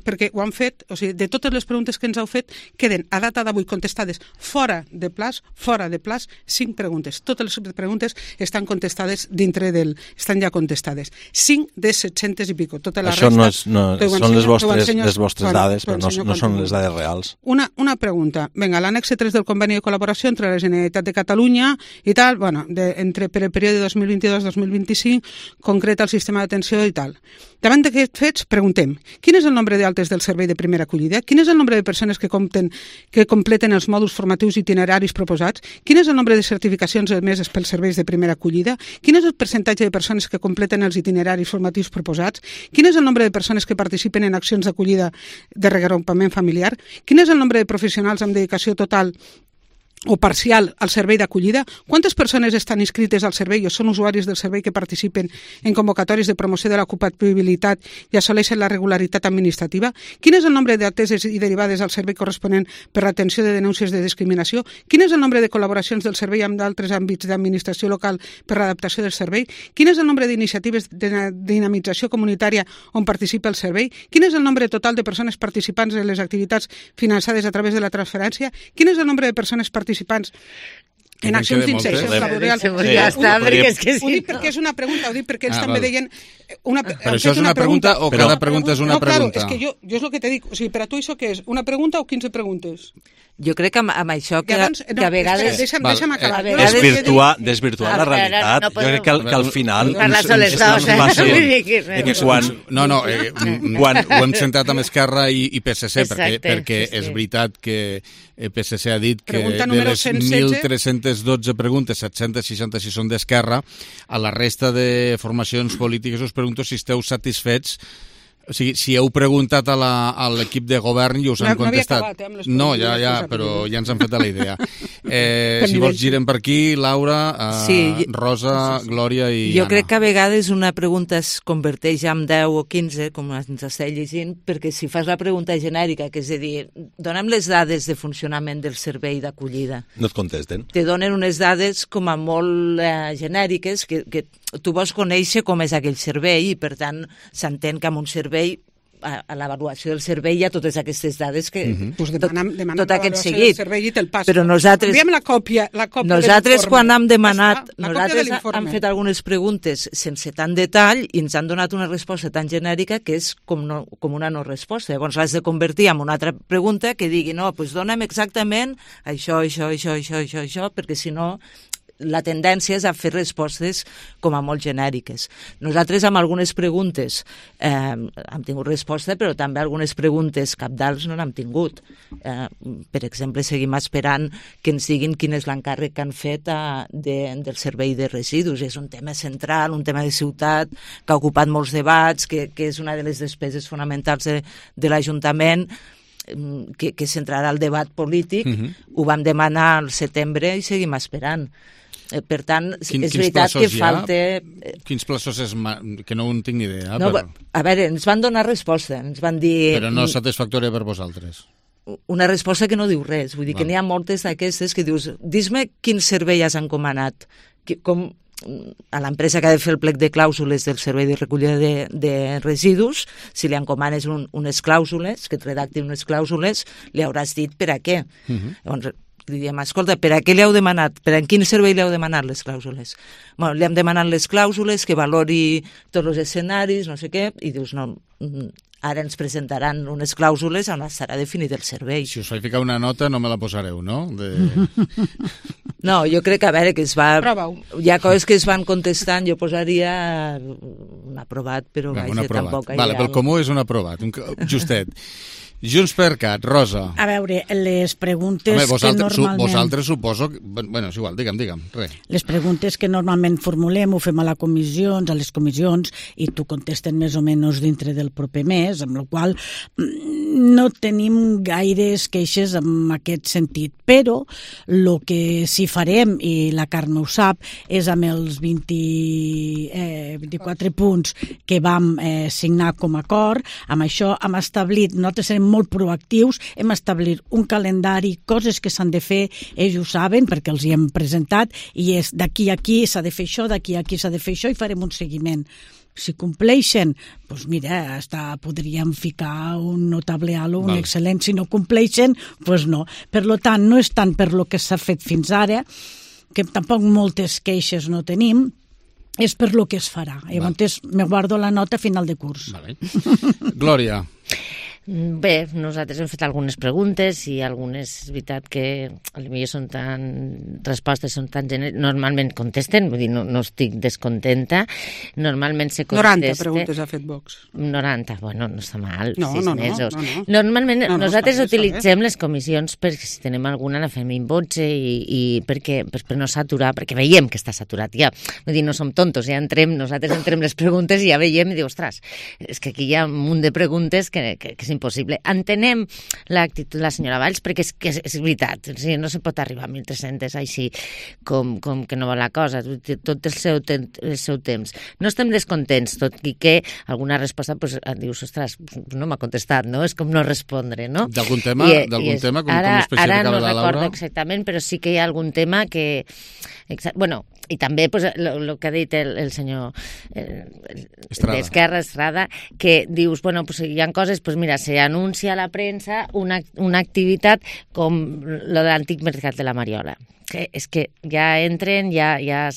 perquè ho han fet, o sigui, de totes les preguntes que ens heu fet, queden a data d'avui contestades fora de plaç, 5 preguntes. Totes les preguntes estan contestades estan ja contestades. 5 de 700 i pico. Tota la Això resta, són les vostres dades, però no són les dades reals. Una pregunta. Vinga, l'annexe 3 del conveni de col·laboració entre la Generalitat de Catalunya i tal, per el període 2022-2025, concreta el sistema d'atenció i tal. Davant d'aquests fets, preguntem, quin és el nombre d'altes del servei de primera acollida? Quin és el nombre de persones que completen els mòduls formatius itineraris proposats? Quin és el nombre de certificacions emeses pels serveis de primera acollida? Quin és el percentatge de persones que completen els itineraris formatius proposats? Quin és el nombre de persones que participen en accions d'acollida de reagrupament familiar? Quin és el nombre de professionals amb dedicació total o parcial al servei d'acollida? Quantes persones estan inscrites al servei o són usuaris del servei que participen en convocatòries de promoció de l'ocupabilitat i assoleixen la regularitat administrativa? Quin és el nombre d'ateses i derivades al servei corresponent per l'atenció de denúncies de discriminació? Quin és el nombre de col·laboracions del servei amb d'altres àmbits d'administració local per l'adaptació del servei? Quin és el nombre d'iniciatives de dinamització comunitària on participa el servei? Quin és el nombre total de persones participants en les activitats finançades a través de la transferència? Quin és el nombre de persones participants En accions d'inserció laboral. Ja està, perquè és que ho dic perquè és una pregunta, ho dic perquè ells també deien... Però això és una pregunta o cada pregunta és una pregunta? No, claro, és que jo és el que te dic. O sigui, per a tu això què és? Una pregunta o 15 preguntes? Jo crec que amb això que a vegades... Deixa'm acabar. Desvirtuar la realitat. Jo crec que al final... Parlar soles dos, Quan ho hem centrat amb Esquerra i PSC, perquè és veritat que PSC ha dit que de les 1.312 preguntes, 766 són d'Esquerra. A la resta de formacions polítiques us pregunto si esteu satisfets. O sigui, si heu preguntat a l'equip de govern i us han contestat. No havia acabat, amb les preguntes. No, però ja ens han fet la idea. Si vols girem per aquí, Laura, Rosa, Glòria i Anna. Jo crec que a vegades una pregunta es converteix en 10 o 15, com ens està llegint, perquè si fas la pregunta genèrica, que és a dir, dona'm les dades de funcionament del servei d'acollida. No et contesten. Te donen unes dades com a molt genèriques que tu vols conèixer com és aquell servei i, per tant, s'entén que amb un servei a l'avaluació del servei hi ha totes aquestes dades que demana tot aquest seguit. Del servei i te'l passo. Però nosaltres enviem la còpia nosaltres quan hem demanat nosaltres hem fet algunes preguntes sense tant detall i ens han donat una resposta tan genèrica que és com una no resposta. Llavors l'has de convertir en una altra pregunta que digui no, doncs dona'm exactament això, perquè si no la tendència és a fer respostes com a molt genèriques. Nosaltres amb algunes preguntes hem tingut resposta, però també algunes preguntes cabdals no n'hem tingut. Per exemple, seguim esperant que ens diguin quin és l'encàrrec que han fet del servei de residus. És un tema central, un tema de ciutat, que ha ocupat molts debats, que és una de les despeses fonamentals de l'Ajuntament, que centrarà el debat polític. Ho vam demanar al setembre i seguim esperant. Per tant, és veritat que falta... Quins plaços és... que no en tinc ni idea. No, a veure, ens van donar resposta, ens van dir... Però no satisfactòria per vosaltres. Una resposta que no diu res, vull dir que n'hi ha moltes d'aquestes que dius, dis-me quin servei has encomanat, com a l'empresa que ha de fer el plec de clàusules del servei de recollida de residus, si li encomanes unes clàusules, que et redactin unes clàusules, li hauràs dit per a què. Llavors, diríem, escolta, per a què li heu demanat? Per a quin servei li heu demanat les clàusules? Bueno, li hem demanat les clàusules, que valori tots els escenaris, no sé què, i dius, no, ara ens presentaran unes clàusules on estarà definit el servei. Si us faig ficar una nota no me la posareu, no? No, jo crec que, a veure, que es va... Hi ha coses que es van contestant, jo posaria un aprovat, però vaja, tampoc... Vale, pel comú és un aprovat, justet. Junts per Cat, Rosa. A veure, les preguntes que normalment... Vosaltres suposo... Bueno, és igual, digue'm, res. Les preguntes que normalment formulem ho fem a les comissions, i t'ho contesten més o menys dintre del proper mes, amb la qual no tenim gaires queixes en aquest sentit. Però el que sí farem, i la Carme ho sap, és amb els 24 punts que vam signar com a acord, amb això hem establit, nosaltres serem molt proactius, hem establit un calendari, coses que s'han de fer, ells ho saben perquè els hi hem presentat, i és d'aquí a aquí s'ha de fer això, d'aquí a aquí s'ha de fer això, i farem un seguiment. Si compleixen, doncs mira, podríem ficar un notable alt o un excel·lent. Si no compleixen, doncs no. Per tant, no és tant per lo que s'ha fet fins ara, que tampoc moltes queixes no tenim, és per lo que es farà. Llavors, me guardo la nota a final de curs. Glòria. Bé, nosaltres hem fet algunes preguntes i algunes, és veritat que potser són respostes són tan genèricas, normalment contesten, vull dir, no estic descontenta, normalment se contesta... 90 preguntes ha fet Vox. 90, bueno, no està mal, 6 mesos. Normalment nosaltres utilitzem les comissions perquè si tenim alguna la fem in voce i per no saturar, perquè veiem que està saturat ja, vull dir, no som tontos, nosaltres entrem les preguntes i ja veiem i diu, ostres, és que aquí hi ha un munt de preguntes que és impossible. Entenem l'actitud de la senyora Valls perquè és veritat, o sigui, no se pot arribar a 1.300 així com que no va la cosa, tot el seu temps. No estem descontents, tot i que alguna resposta dius, ostres, no m'ha contestat, no? És com no respondre, no? D'algun tema com especifica la Laura? Ara no recordo exactament, però sí que hi ha algun tema que Bueno, i també el que ha dit el senyor d'Esquerra, Estrada, que dius, bueno, pues hi ha coses, pues mira, se anuncia a la premsa una activitat com lo de l'antic mercat de la Mariola, que és que ja entren, ja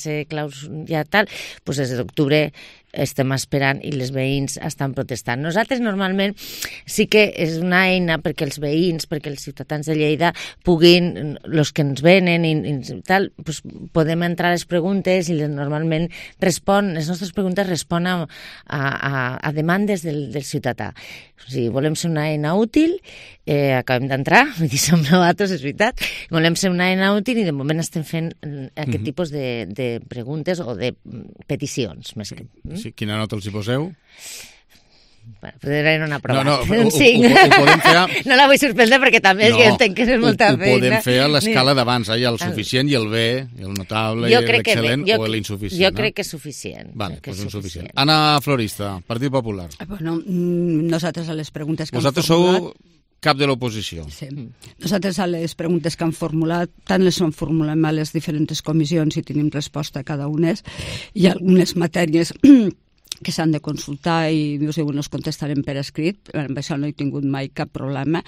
tal, pues des d'octubre estem esperant i les veïns estan protestant. Nosaltres normalment sí que és una eina perquè els veïns, perquè els ciutadans de Lleida puguin, els que ens venen i tal, pues podem entrar a les preguntes i normalment les nostres preguntes responen a demandes del ciutadà. O sigui, volem ser una eina útil, acabem d'entrar, som nosaltres, és veritat, volem ser una eina útil i de moment estem fent aquest tipus de preguntes o de peticions. Més que... Sí, quina nota els hi poseu? Bueno, podria una prova. No, ho podem fer... No la vull suspendre perquè també jo entenc que és molta feina. Ho podem fer a l'escala d'abans, el suficient i el bé, el notable, l'excel·lent o l'insuficient. Jo crec que és suficient. Vale, doncs insuficient. Anna Florista, Partit Popular. Bueno, nosaltres a les preguntes que vosaltres han formulat... sou cap de l'oposició. Sí. Nosaltres a les preguntes que han formulat, tant les formulem a les diferents comissions i tenim resposta a cada una. Hi ha algunes matèries que s'han de consultar i us diuen els contestarem per escrit, amb això no he tingut mai cap problema.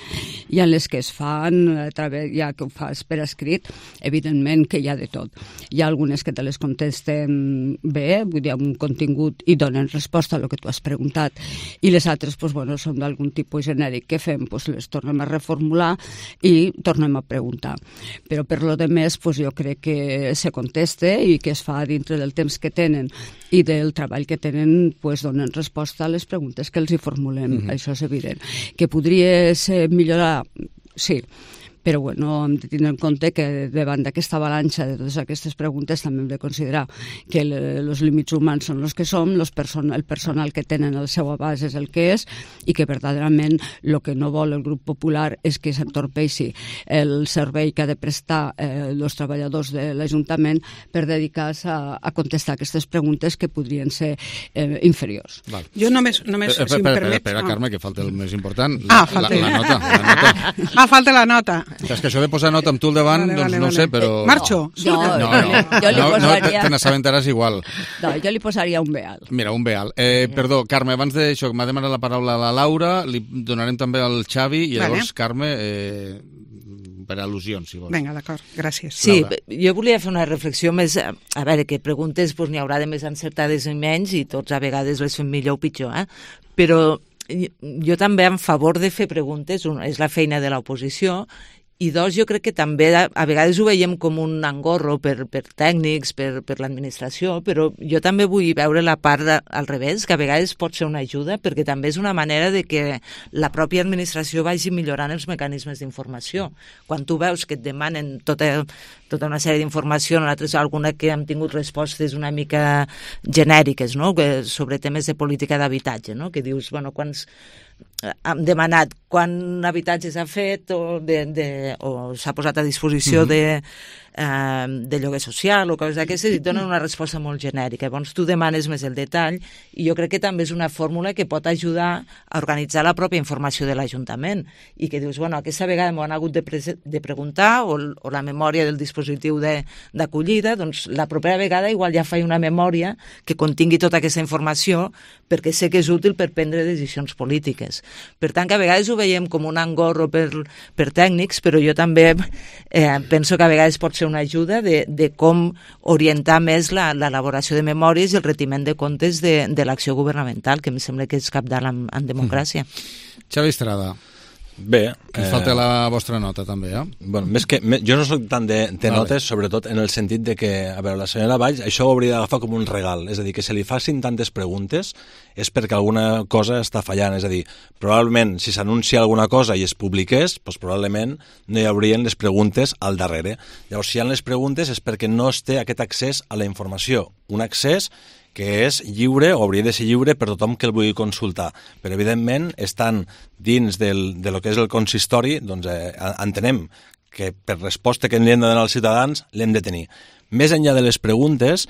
Hi ha les que es fan a través, ja que ho fas per escrit, evidentment que hi ha de tot. Hi ha algunes que te les contesten bé, vull dir, amb un contingut i donen resposta a el que tu has preguntat, i les altres doncs, bueno, són d'algun tipus genèric. Què fem? Doncs les tornem a reformular i tornem a preguntar. Però per lo de més, doncs, jo crec que se conteste i que es fa dintre del temps que tenen i del treball que tenen, pues, donen resposta a les preguntes que els hi formulem. Això és evident. Que podria ser millorar? Sí. Però bueno, hem de tenir en compte que davant d'aquesta avalanxa de totes aquestes preguntes també hem de considerar que els límits humans són els que som, el personal que tenen al seu abast és el que és i que verdaderament el que no vol el grup popular és que s'entorpeixi el servei que ha de prestar els treballadors de l'Ajuntament per dedicar-se a contestar aquestes preguntes que podrien ser inferiors. Val. Jo només si em permets... Espera, Carme, que falta el més important, falta la nota. Falta la nota. És que això de posar nota amb tu al davant, doncs no sé, però... Marxo? Jo li posaria... No te n'assabentaràs igual. No, jo li posaria un B-alt. Mira, un B-alt. Perdó, Carme, abans d'això, m'ha demanat la paraula a la Laura, li donarem també al Xavi, i llavors, Carme, per al·lusions, si vols. Vinga, d'acord, gràcies. Sí, jo volia fer una reflexió més... A veure, que preguntes n'hi haurà de més encertades i menys, i tots a vegades les fem millor o pitjor, però jo també en favor de fer preguntes, és la feina de l'oposició, i dos, jo crec que també a vegades ho veiem com un engorro per tècnics, per l'administració, però jo també vull veure la part al revés, que a vegades pot ser una ajuda, perquè també és una manera de que la pròpia administració vagi millorant els mecanismes d'informació. Quan tu veus que et demanen tota una sèrie d'informació, nosaltres alguna que hem tingut respostes una mica genèriques, no? Sobre temes de política d'habitatge, no? Que dius, bueno, hem demanat quant habitatge s'ha fet o s'ha posat a disposició de lloguer social o coses d'aquestes i donen una resposta molt genèrica. Llavors tu demanes més el detall i jo crec que també és una fórmula que pot ajudar a organitzar la pròpia informació de l'Ajuntament i que dius, bueno, aquesta vegada m'ho han hagut de preguntar o la memòria del dispositiu d'acollida, doncs la propera vegada igual ja faig una memòria que contingui tota aquesta informació perquè sé que és útil per prendre decisions polítiques. Per tant, que a vegades ho veiem com un engorro per tècnics, però jo també penso que a vegades pot ser una ajuda de com orientar més l'elaboració de memòries i el retiment de comptes de l'acció governamental, que em sembla que és cabdal en democràcia. Xavi Estrada. Bé. Que us falta la vostra nota, també, Bueno, jo no soc tant de notes, sobretot en el sentit de que, a veure, la senyora Valls, això ho hauria d'agafar com un regal, és a dir, que se li facin tantes preguntes és perquè alguna cosa està fallant, és a dir, probablement, si s'anuncia alguna cosa i es publiqués, doncs probablement no hi haurien les preguntes al darrere. Llavors, si hi ha les preguntes és perquè no es té aquest accés a la informació, un accés que és lliure, o hauria de ser lliure per tothom que el vulgui consultar. Però, evidentment, estan dins de lo que és el consistori, doncs entenem que per resposta que li hem de donar als ciutadans l'hem de tenir. més enllà de les preguntes,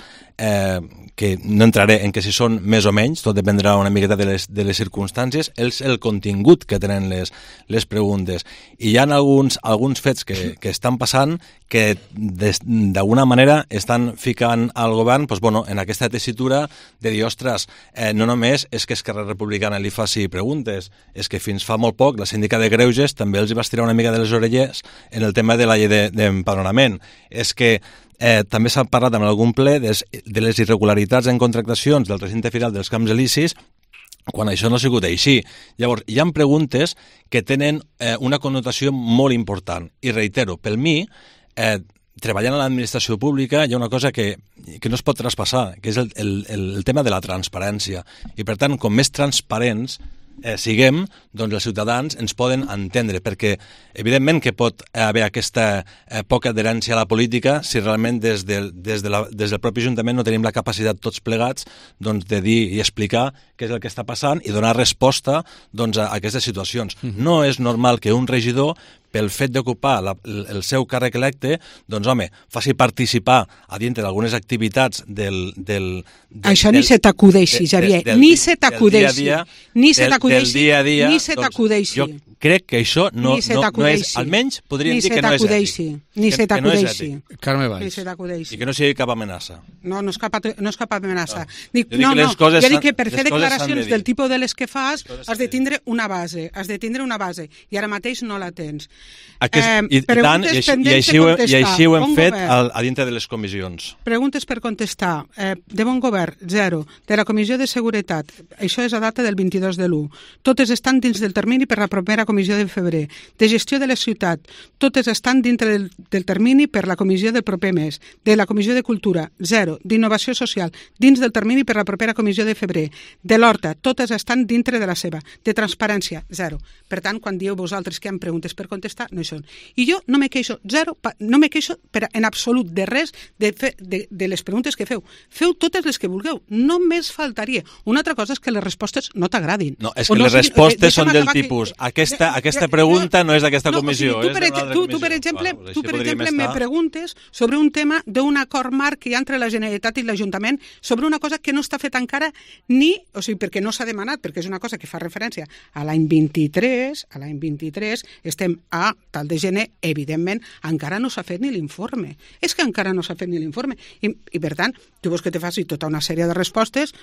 que no entraré en que si són més o menys, tot dependrà una miqueta de les circumstàncies, és el contingut que tenen les preguntes. I hi ha alguns fets que estan passant que d'alguna manera estan ficant al govern en aquesta tessitura de dir, ostres, no només és que Esquerra Republicana li faci preguntes, és que fins fa molt poc la síndica de Greuges també els va estirar una mica de les orelles en el tema de la llei d'empadronament. És que també s'ha parlat en algun ple de les irregularitats en contractacions del recinte firal dels Camps Elisis, quan això no ha sigut així. Llavors, hi ha preguntes que tenen una connotació molt important. I reitero, per mi, treballant a l'administració pública hi ha una cosa que no es pot traspassar, que és el tema de la transparència. I, per tant, com més transparents siguem, doncs els ciutadans ens poden entendre, perquè evidentment que pot haver aquesta poca adherència a la política si realment des del propi Ajuntament no tenim la capacitat tots plegats de dir i explicar què és el que està passant i donar resposta a aquestes situacions. No és normal que un regidor, pel fet d'ocupar el seu càrrec electe, faci participar a dintre d'algunes activitats Això ni se t'acudeixi, Xavier, ni se t'acudeixi. Del dia a dia. Ni se t'acudeixi. Jo crec que això no és, almenys podríem dir que no és ètic. Ni se t'acudeixi. Carme Valls. I que no sigui cap amenaça. No és cap amenaça. Jo dic que per fer declaracions del tipus de les que fas has de tindre una base, i ara mateix no la tens. I així ho hem fet a dintre de les comissions. Preguntes per contestar. De bon govern, 0. De la Comissió de Seguretat, això és a data del 22 de l'1. Totes estan dins del termini per la propera comissió de febrer. De gestió de la ciutat, totes estan dintre del termini per la comissió del proper mes. De la Comissió de Cultura, 0. D'innovació social, dins del termini per la propera comissió de febrer. De l'Horta, totes estan dintre de la seva. De transparència, 0. Per tant, quan dieu vosaltres que hi ha preguntes per contestar, no hi són. I jo no me queixo, 0, no me queixo en absolut de res de les preguntes que feu. Feu totes les que vulgueu, només faltaria. Una altra cosa és que les respostes no t'agradin. No, és que les respostes són del tipus aquesta pregunta no és d'aquesta comissió. Tu, per exemple, me preguntes sobre un tema d'un acord marc que hi ha entre la Generalitat i l'Ajuntament sobre una cosa que no està feta encara perquè no s'ha demanat, perquè és una cosa que fa referència a l'any 23, estem a tal de gener, evidentment, encara no s'ha fet ni l'informe. És que encara no s'ha fet ni l'informe. I per tant, tu vols que te faci tota una sèrie de respostes,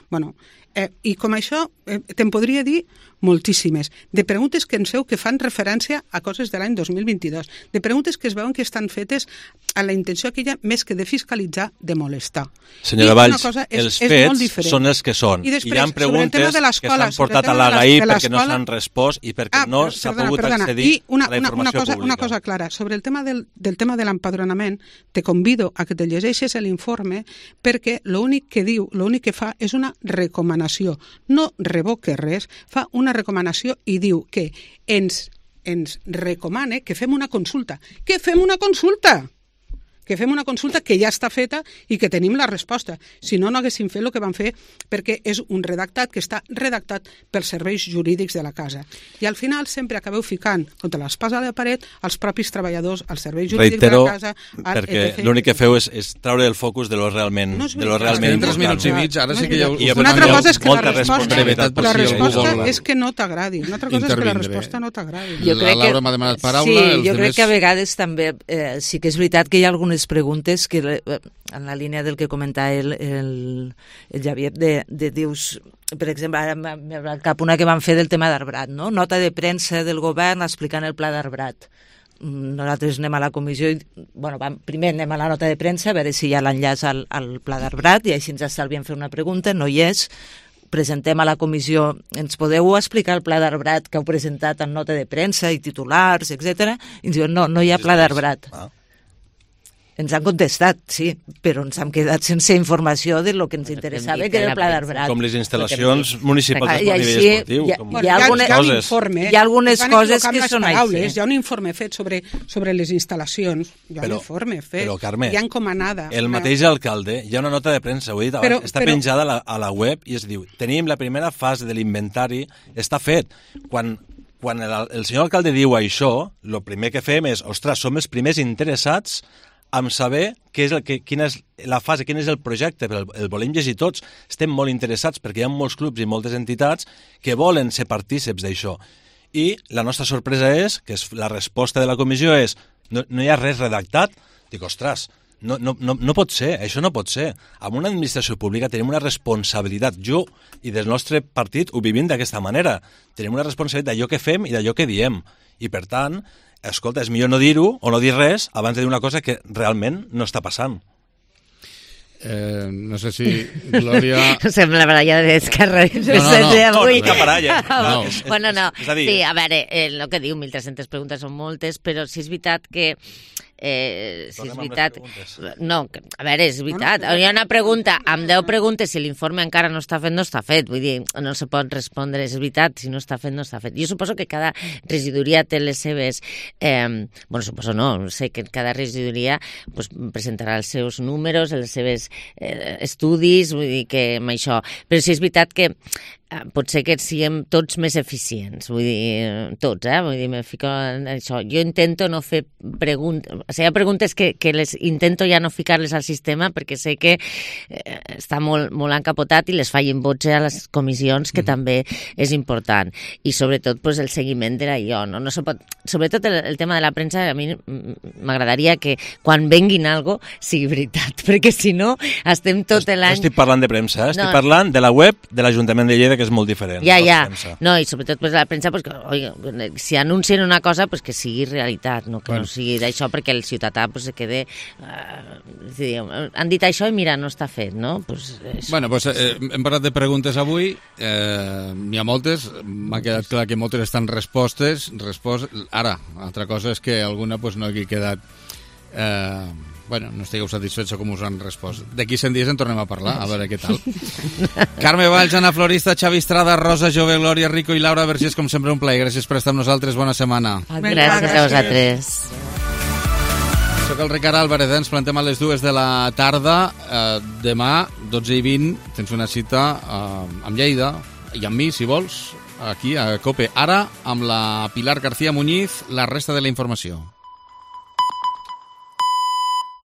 i com això te'n podria dir moltíssimes, de preguntes que ens veu que fan referència a coses de l'any 2022, de preguntes que es veuen que estan fetes a la intenció aquella més que de fiscalitzar, de molestar. Senyora Valls, els fets són els que són. I hi ha preguntes que s'han portat a l'AGAI perquè no s'han respost i perquè no s'ha pogut accedir a la informació pública. Una cosa clara, sobre el tema del tema de l'empadronament, te convido a que te llegeixes l'informe perquè l'únic que fa és una recomanació. No revoca res, fa una recomanació i diu que ens recomana que fem una consulta. Que fem una consulta! Que fem una consulta que ja està feta i que tenim la resposta. Si no, no haguéssim fet el que vam fer perquè és un redactat que està redactat pels serveis jurídics de la casa. I al final sempre acabeu ficant contra l'espasa de la paret els propis treballadors, els serveis jurídics de la casa... perquè l'únic que feu és treure el focus de lo realment important. 3 minuts i mig, ara sí que hi ha... Una altra cosa és que la resposta és que no t'agradi. Una altra cosa és que la resposta no t'agradi. La Laura m'ha demanat paraula. Sí, jo crec que a vegades també sí que és veritat que hi ha algunes preguntes que en la línia del que comentava el Javier de dius, per exemple, ara m'ha venit cap una que van fer del tema d'Arbrat, no? Nota de premsa del govern explicant el pla d'Arbrat. Nosaltres anem a la comissió i, primer anem a la nota de premsa a veure si hi ha l'enllaç al pla d'Arbrat i així ens estalviem fer una pregunta, no hi és, presentem a la comissió, ens podeu explicar el pla d'Arbrat que heu presentat en nota de premsa i titulars, etc. I ens diuen, no hi ha pla d'Arbrat. Ens han contestat, sí, però ens hem quedat sense informació de lo que ens interessava, que era el pla d'Arbrat. Com les instal·lacions municipals a nivell esportiu. Hi ha algunes coses que són així. Hi ha un informe fet sobre les instal·lacions, hi ha un informe fet, hi ha encomanada. El mateix alcalde, hi ha una nota de premsa, ho he dit abans, està penjada a la web i es diu, tenim la primera fase de l'inventari, està fet. Quan el senyor alcalde diu això, el primer que fem és, ostres, som els primers interessats amb saber quina és la fase, quin és el projecte, però el volem llegir tots. Estem molt interessats perquè hi ha molts clubs i moltes entitats que volen ser partíceps d'això. I la nostra sorpresa és que la resposta de la comissió és no hi ha res redactat. Dic, ostres, no pot ser, això no pot ser. Amb una administració pública tenim una responsabilitat. Jo i del nostre partit ho vivim d'aquesta manera. Tenim una responsabilitat d'allò que fem i d'allò que diem. I per tant, escolta, és millor no dir-ho o no dir res abans de dir una cosa que realment no està passant. No sé si Glòria... Sembla la baralla d'Esquerra. No, cap baralla. Bueno, no. Sí, a veure, el que diu, 1.300 preguntes són moltes, però sí és veritat que... si és veritat... No, a veure, és veritat. Hi ha una pregunta, amb 10 preguntes, si l'informe encara no està fet, no està fet. Vull dir, no se pot respondre, és veritat, si no està fet, no està fet. Jo suposo que cada regidoria té les seves... Bueno, suposo no, sé que cada regidoria presentarà els seus números, els seus estudis, vull dir que amb això... Però sí és veritat que pot ser que siguem tots més eficients, vull dir, tots, vull dir, me fico en això. Jo intento no fer preguntes, o sigui, hi ha preguntes que les intento ja no ficar-les al sistema perquè sé que està molt encapotat i les fallen vots a les comissions, que també és important. I sobretot el seguiment de l'allò, no? No se pot... Sobretot el tema de la premsa, a mi m'agradaria que quan venguin algo sigui veritat, perquè si no estem tot l'any... No estic parlant de premsa, estic parlant de la web de l'Ajuntament de Lleida, que és molt diferent. Ja. No, i sobretot la premsa, si anuncien una cosa, que sigui realitat, no que no sigui d'això, perquè el ciutadà se quede... Han dit això i mira, no està fet, no? Bueno, hem parlat de preguntes avui, n'hi ha moltes, m'ha quedat clar que moltes estan respostes. Ara, altra cosa és que alguna no hagi quedat... Bueno, no estigueu satisfets com us han respost. D'aquí 100 dies en tornem a parlar, a veure què tal. Carme Valls, Anna Florista, Xavi Estrada, Rosa Jove, Glòria Rico i Laura Vergés, com sempre un plaer. Gràcies per estar amb nosaltres, bona setmana. Gràcies a vosaltres. Soc el Ricard Álvarez, ens plantem a les 2 de la tarda. Demà, 12:20, tens una cita amb Lleida i amb mi, si vols, aquí a COPE. Ara, amb la Pilar García Muñiz, la resta de la informació.